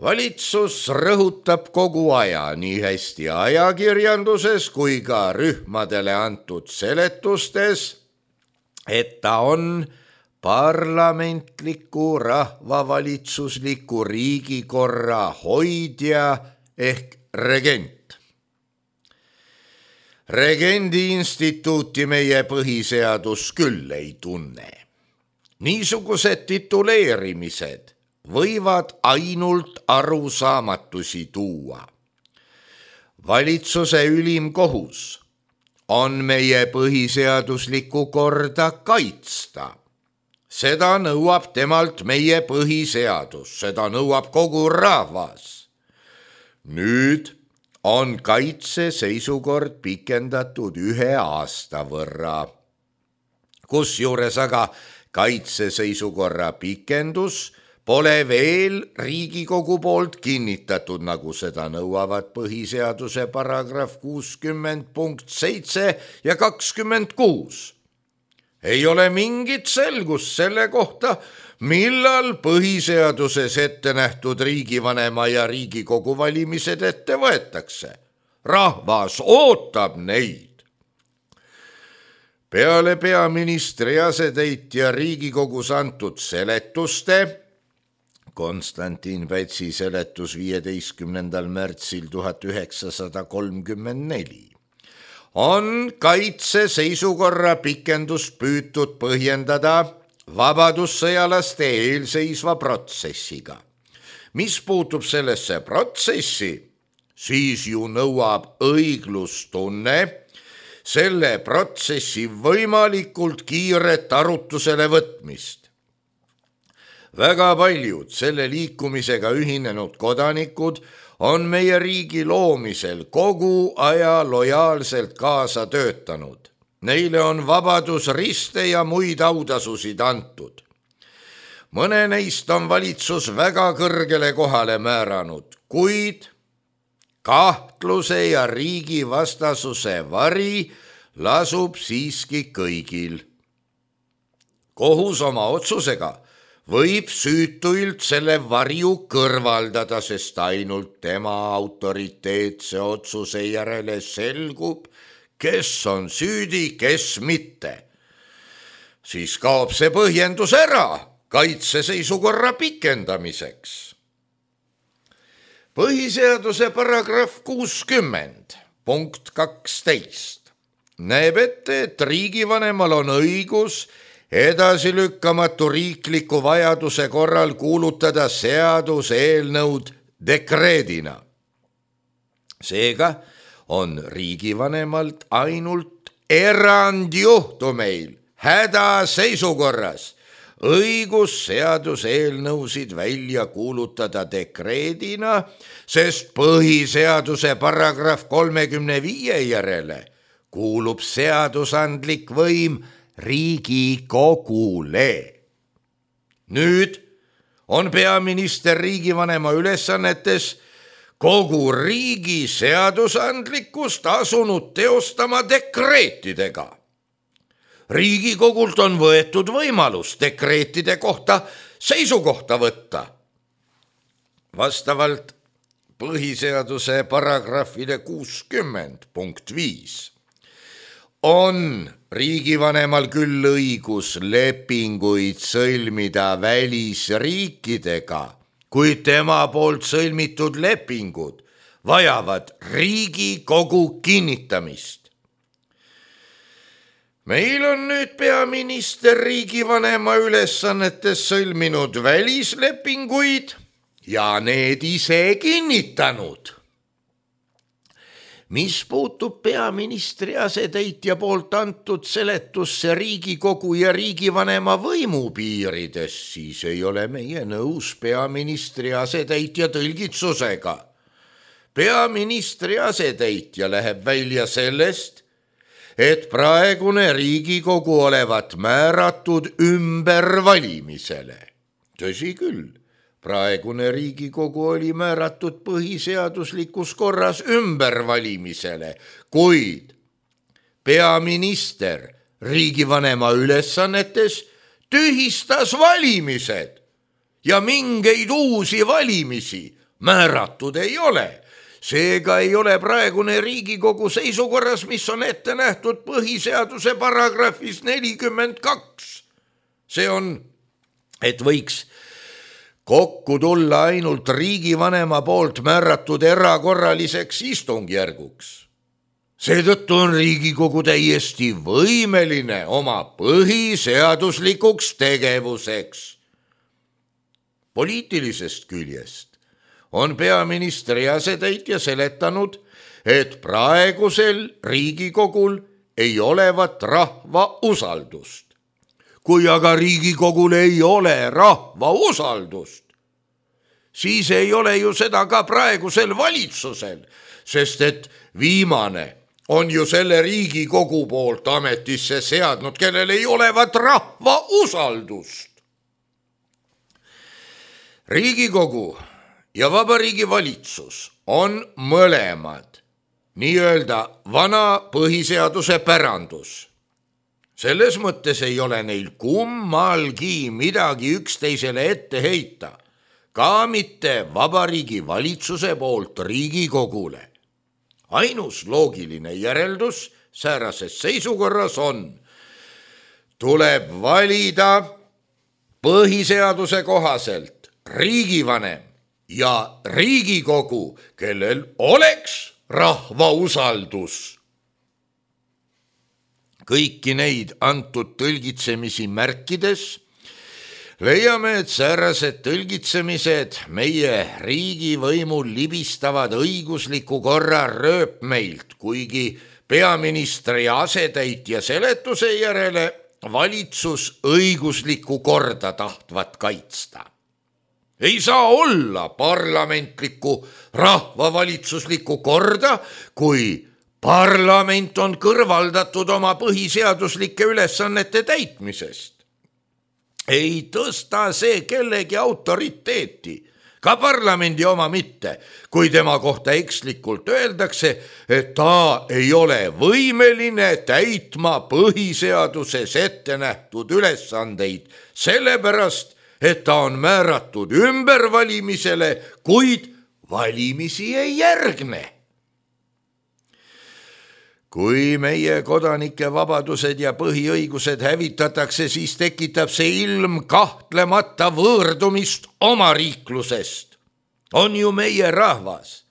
Valitsus rõhutab kogu aja nii hästi ajakirjanduses kui ka rühmadele antud seletustes, et ta on parlamentliku rahvavalitsusliku riigikorra hoidja ehk regent. Regendi instituuti meie põhiseadus küll ei tunne. Niisugused tituleerimised võivad ainult arusaamatusi tuua. Valitsuse ülim kohus on meie põhiseaduslikku korda kaitsta. Seda nõuab temalt meie põhiseadus, seda nõuab kogu rahvas. Nüüd on kaitseseisukord pikendatud ühe aasta võrra. Kusjuures aga kaitseseisukorra pikendus pole veel Riigikogu poolt kinnitatud, nagu seda nõuavad põhiseaduse paragrahv kuuskümmend punkt seitse ja kakskümmend kuus. Ei ole mingit selgust selle kohta, millal põhiseaduses ette nähtud riigivanema ja Riigikogu valimised ette võetakse. Rahvas ootab neid. Peale peaministri asetäitja Riigikogus antud seletuste, Konstantin Pätsi seletus viieteistkümnendal märtsil tuhat üheksasada kolmkümmend neli, on kaitseseisukorra pikendust püütud põhjendada vabadussõjalaste eelseisva protsessiga. Mis puutub sellesse protsessi, siis ju nõuab õiglustunne selle protsessi võimalikult kiiret arutusele võtmist. Väga paljud selle liikumisega ühinenud kodanikud on meie riigi loomisel kogu aja lojaalselt kaasa töötanud. Neile on vabadusriste ja muid autasusid antud. mõne neist on valitsus väga kõrgele kohale määranud, kuid kahtluse ja riigi vastasuse vari lasub siiski kõigil. Kohus oma otsusega võib süütuilt selle varju kõrvaldada, sest ainult tema autoriteetse otsuse järele selgub, kes on süüdi, kes mitte. Siis kaob see põhjendus ära kaitseseisukorra pikendamiseks. Põhiseaduse paragrahv kuuskümmend punkt kaksteist näeb ette, et riigivanemal on õigus edasilükkamatu riikliku vajaduse korral kuulutada seaduseelnõud dekreedina. Seega on riigivanemalt ainult erandjuhtumeil hädaseisukorras õigus seaduseelnõusid välja kuulutada dekreedina, sest põhiseaduse paragrahv kolmekümne viie järele kuulub seadusandlik võim Riigikogule. Nüüd on peaminister riigivanema ülesannetes kogu riigi seadusandlikkust asunud teostama dekreetidega. Riigikogult on võetud võimalus dekreetide kohta seisukohta võtta. Vastavalt põhiseaduse paragrahvile kuuskümmend punkt viis on riigivanemal küll õigus lepinguid sõlmida välisriikidega, kuid tema poolt sõlmitud lepingud vajavad Riigikogu kinnitamist. Meil on nüüd peaminister riigivanema ülesannetes sõlminud välislepinguid ja need ise kinnitanud. Mis puutub peaministri asetäitja poolt antud seletusse Riigikogu ja riigivanema võimu piirides, siis ei ole meie nõus peaministri asetäitja tõlgitsusega. Peaministri asetäitja läheb välja sellest, et praegune Riigikogu olevat määratud ümbervalimisele. Tõsi küll, praegune Riigikogu oli määratud põhiseaduslikus korras ümbervalimisele, kuid peaminister riigivanema ülesannetes tühistas valimised ja mingeid uusi valimisi määratud ei ole. Seega ei ole praegune Riigikogu seisukorras, mis on ette nähtud põhiseaduse paragrahvis nelikümmend kaks. See on, et võiks kokku tulla ainult riigivanema poolt määratud erakorraliseks istungjärguks. Seetõttu on Riigikogu täiesti võimeline oma põhiseaduslikuks tegevuseks. Poliitilisest küljest on peaministri asetäitja seletanud, et praegusel Riigikogul ei olevat rahva usaldust. Kui aga Riigikogul ei ole rahva usaldust, siis ei ole ju seda ka praegusel valitsusel, sest et viimane on ju selle Riigikogu poolt ametisse seadnud, kellel ei olevat rahva usaldust. Riigikogu ja Vabariigi Valitsus on mõlemad nii-öelda vana põhiseaduse pärandus. Selles mõttes ei ole neil kummalgi midagi üksteisele ette heita, ka mitte Vabariigi Valitsuse poolt Riigikogule. Ainus loogiline järeldus säärases seisukorras on, tuleb valida põhiseaduse kohaselt riigivanem ja Riigikogu, kellel oleks rahva usaldus. Kõiki neid antud tõlgitsemisi märkides leiame, et säärased tõlgitsemised meie riigivõimul libistavad õigusliku korra rööpmeilt, kuigi peaministri asetäitja seletuse järele valitsus õiguslikku korda tahtvat kaitsta. Ei saa olla parlamentlikku rahvavalitsuslikku korda, kui parlament on kõrvaldatud oma põhiseaduslike ülesannete täitmisest. ei tõsta see kellegi autoriteeti, ka parlamendi oma mitte, kui tema kohta ekslikult öeldakse, et ta ei ole võimeline täitma põhiseaduses ette nähtud ülesandeid, sellepärast, et ta on määratud ümbervalimisele, kuid valimisi ei järgne. Kui meie kodanike vabadused ja põhiõigused hävitatakse, siis tekitab see ilm kahtlemata võõrdumist oma riiklusest. On ju meie rahvas,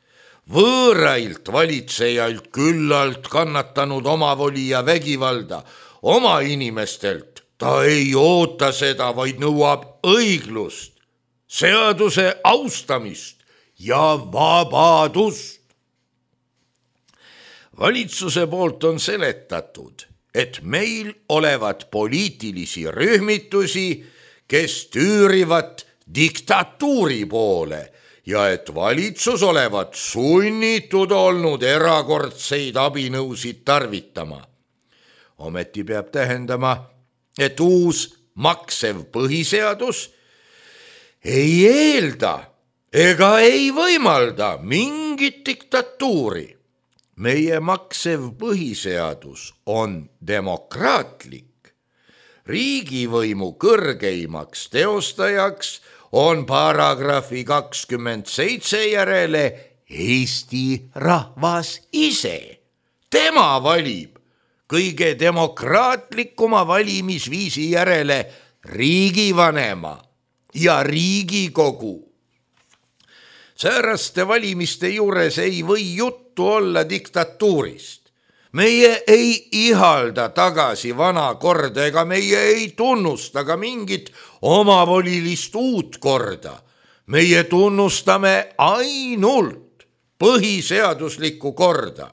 võõrailt valitsejailt küllalt kannatanud omavoli ja vägivalda, oma inimestelt ta ei oota seda, vaid nõuab õiglust, seaduse austamist ja vabadust. Valitsuse poolt on seletatud, et meil olevat poliitilisi rühmitusi, kes tüürivad diktatuuri poole ja et valitsus olevat sunnitud olnud erakordseid abinõusid tarvitama. Ometi peab tähendama, et uus maksev põhiseadus ei eelda ega ei võimalda mingit diktatuuri. Meie maksev põhiseadus on demokraatlik. Riigivõimu kõrgeimaks teostajaks on paragrahvi kakskümmend seitse järele Eesti rahvas ise. Tema valib kõige demokraatlikuma valimisviisi järele riigivanema ja Riigikogu. Sääraste valimiste juures ei või juttu olla diktatuurist. Meie ei ihalda tagasi vana korda ega meie ei tunnusta ka mingit omavolilist uut korda. Meie tunnustame ainult põhiseaduslikku korda.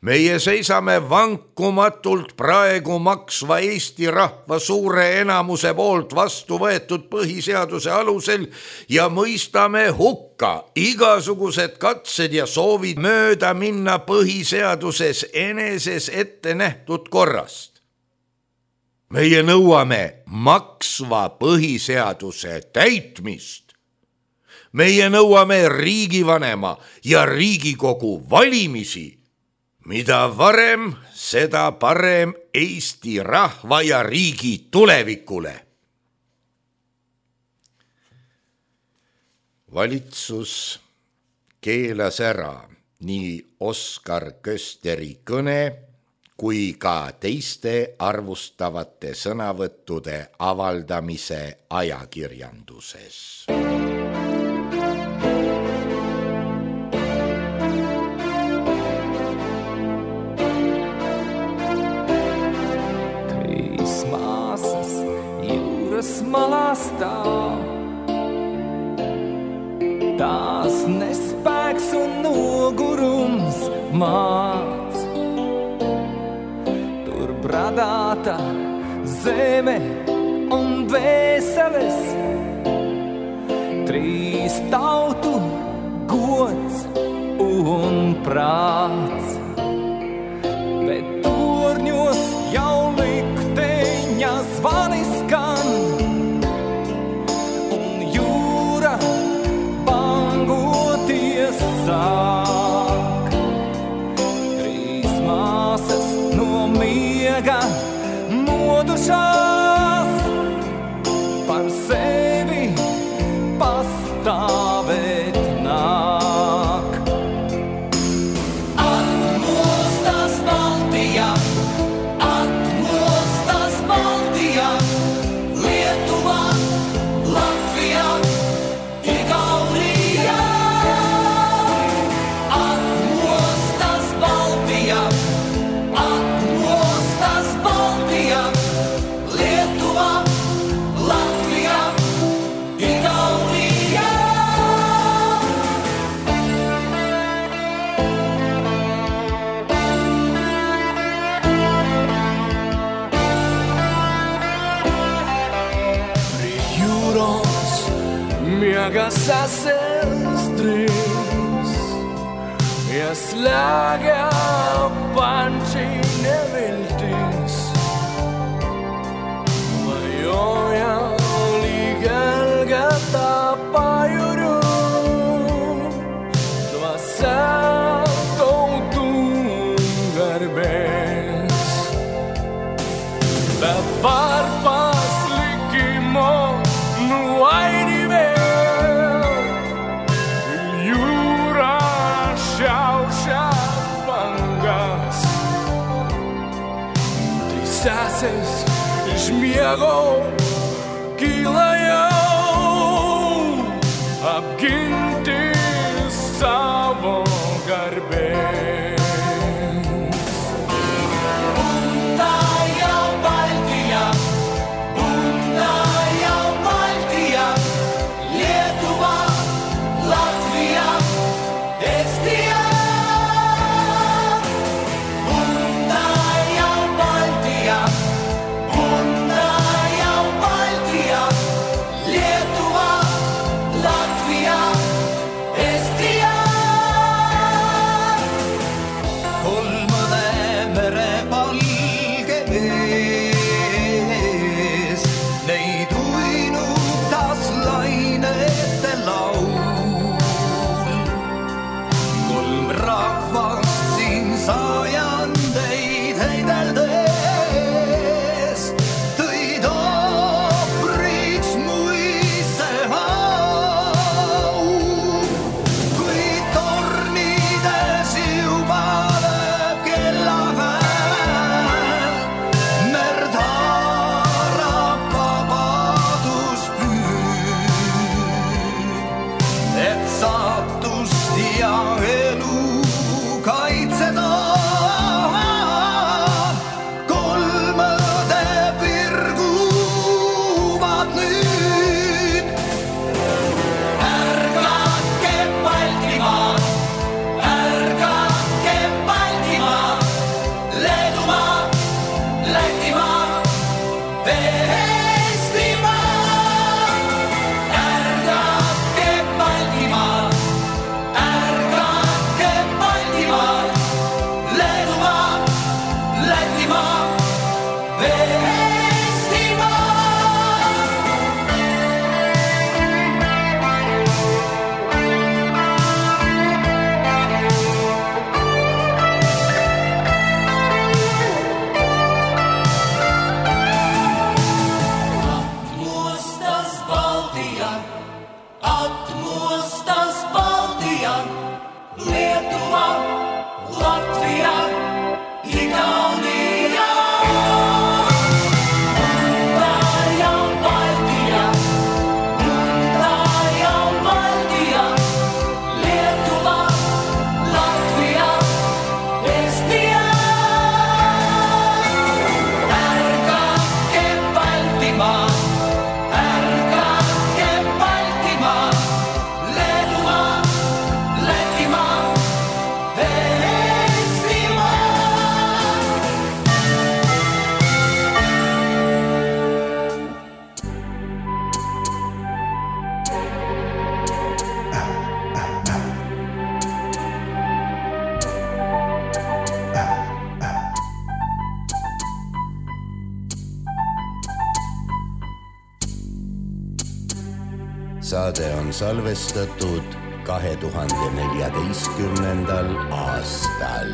Meie seisame vankumatult praegu maksva Eesti rahva suure enamuse poolt vastu võetud põhiseaduse alusel ja mõistame hukka igasugused katsed ja soovid mööda minna põhiseaduses eneses ette nähtud korrast. Meie nõuame maksva põhiseaduse täitmist. Meie nõuame riigivanema ja Riigikogu valimisi. Mida varem, seda parem Eesti rahva ja riigi tulevikule. Valitsus keelas ära nii Oskar Kösteri kõne kui ka teiste arvustavate sõnavõttude avaldamise ajakirjanduses. Malastāv. Tās nespēks un nogurums māc. Tur bradāta zeme un vēseles, trīs tautu gods un prāts. Bet torņos jau likteņa zvani skan, sāk. Trīs māsas no miega modušās, par sevi pastāvēt nāk. Atmostas Baltijā, atmostas Baltijā, Lietuvā, Latvijā, Igaunijā. Miegas asestrīs, ieslēgā panči neviltīs, vai joja Messes śmiało kilają, apginti savo garbės. Bunda jau Baltija, bunda jau Baltija, Lietuva, Latvija, Estija. Bunda jau Baltija, bunda jau Baltija, Lietuva, Latvija, Estija. Kolmõne mere palge ees, neid uinutas lainete laul. Kolm rahvast siin sajandeid heideldes tõid ohvriks muiste hau. Kui tornides juba lööb kellahääl, merd haarab vabaduspüür, et saatust ja elu kaitseda. Kolmõde virguvad nüüd. Ärgake Baltimaad, ärgake Baltimaad, Leedumaa, Lätimaa, Eestimaa. Ärgake Baltimaad, ärgake Baltimaad, Leedumaa, Lätimaa, Eestimaa. Atmostas Baltija, atmostas Baltija, Lietuva, Latvija, Igaunija. Bunda jau Baltija, bunda jau Baltija, Lietuva, Latvija, Estija. Ärgake Baltimaad, ärgake Baltimaad, Leedumaa, Lätimaa, Eestimaa. Saade on salvestatud kahe tuhande neljateistkümnendal aastal.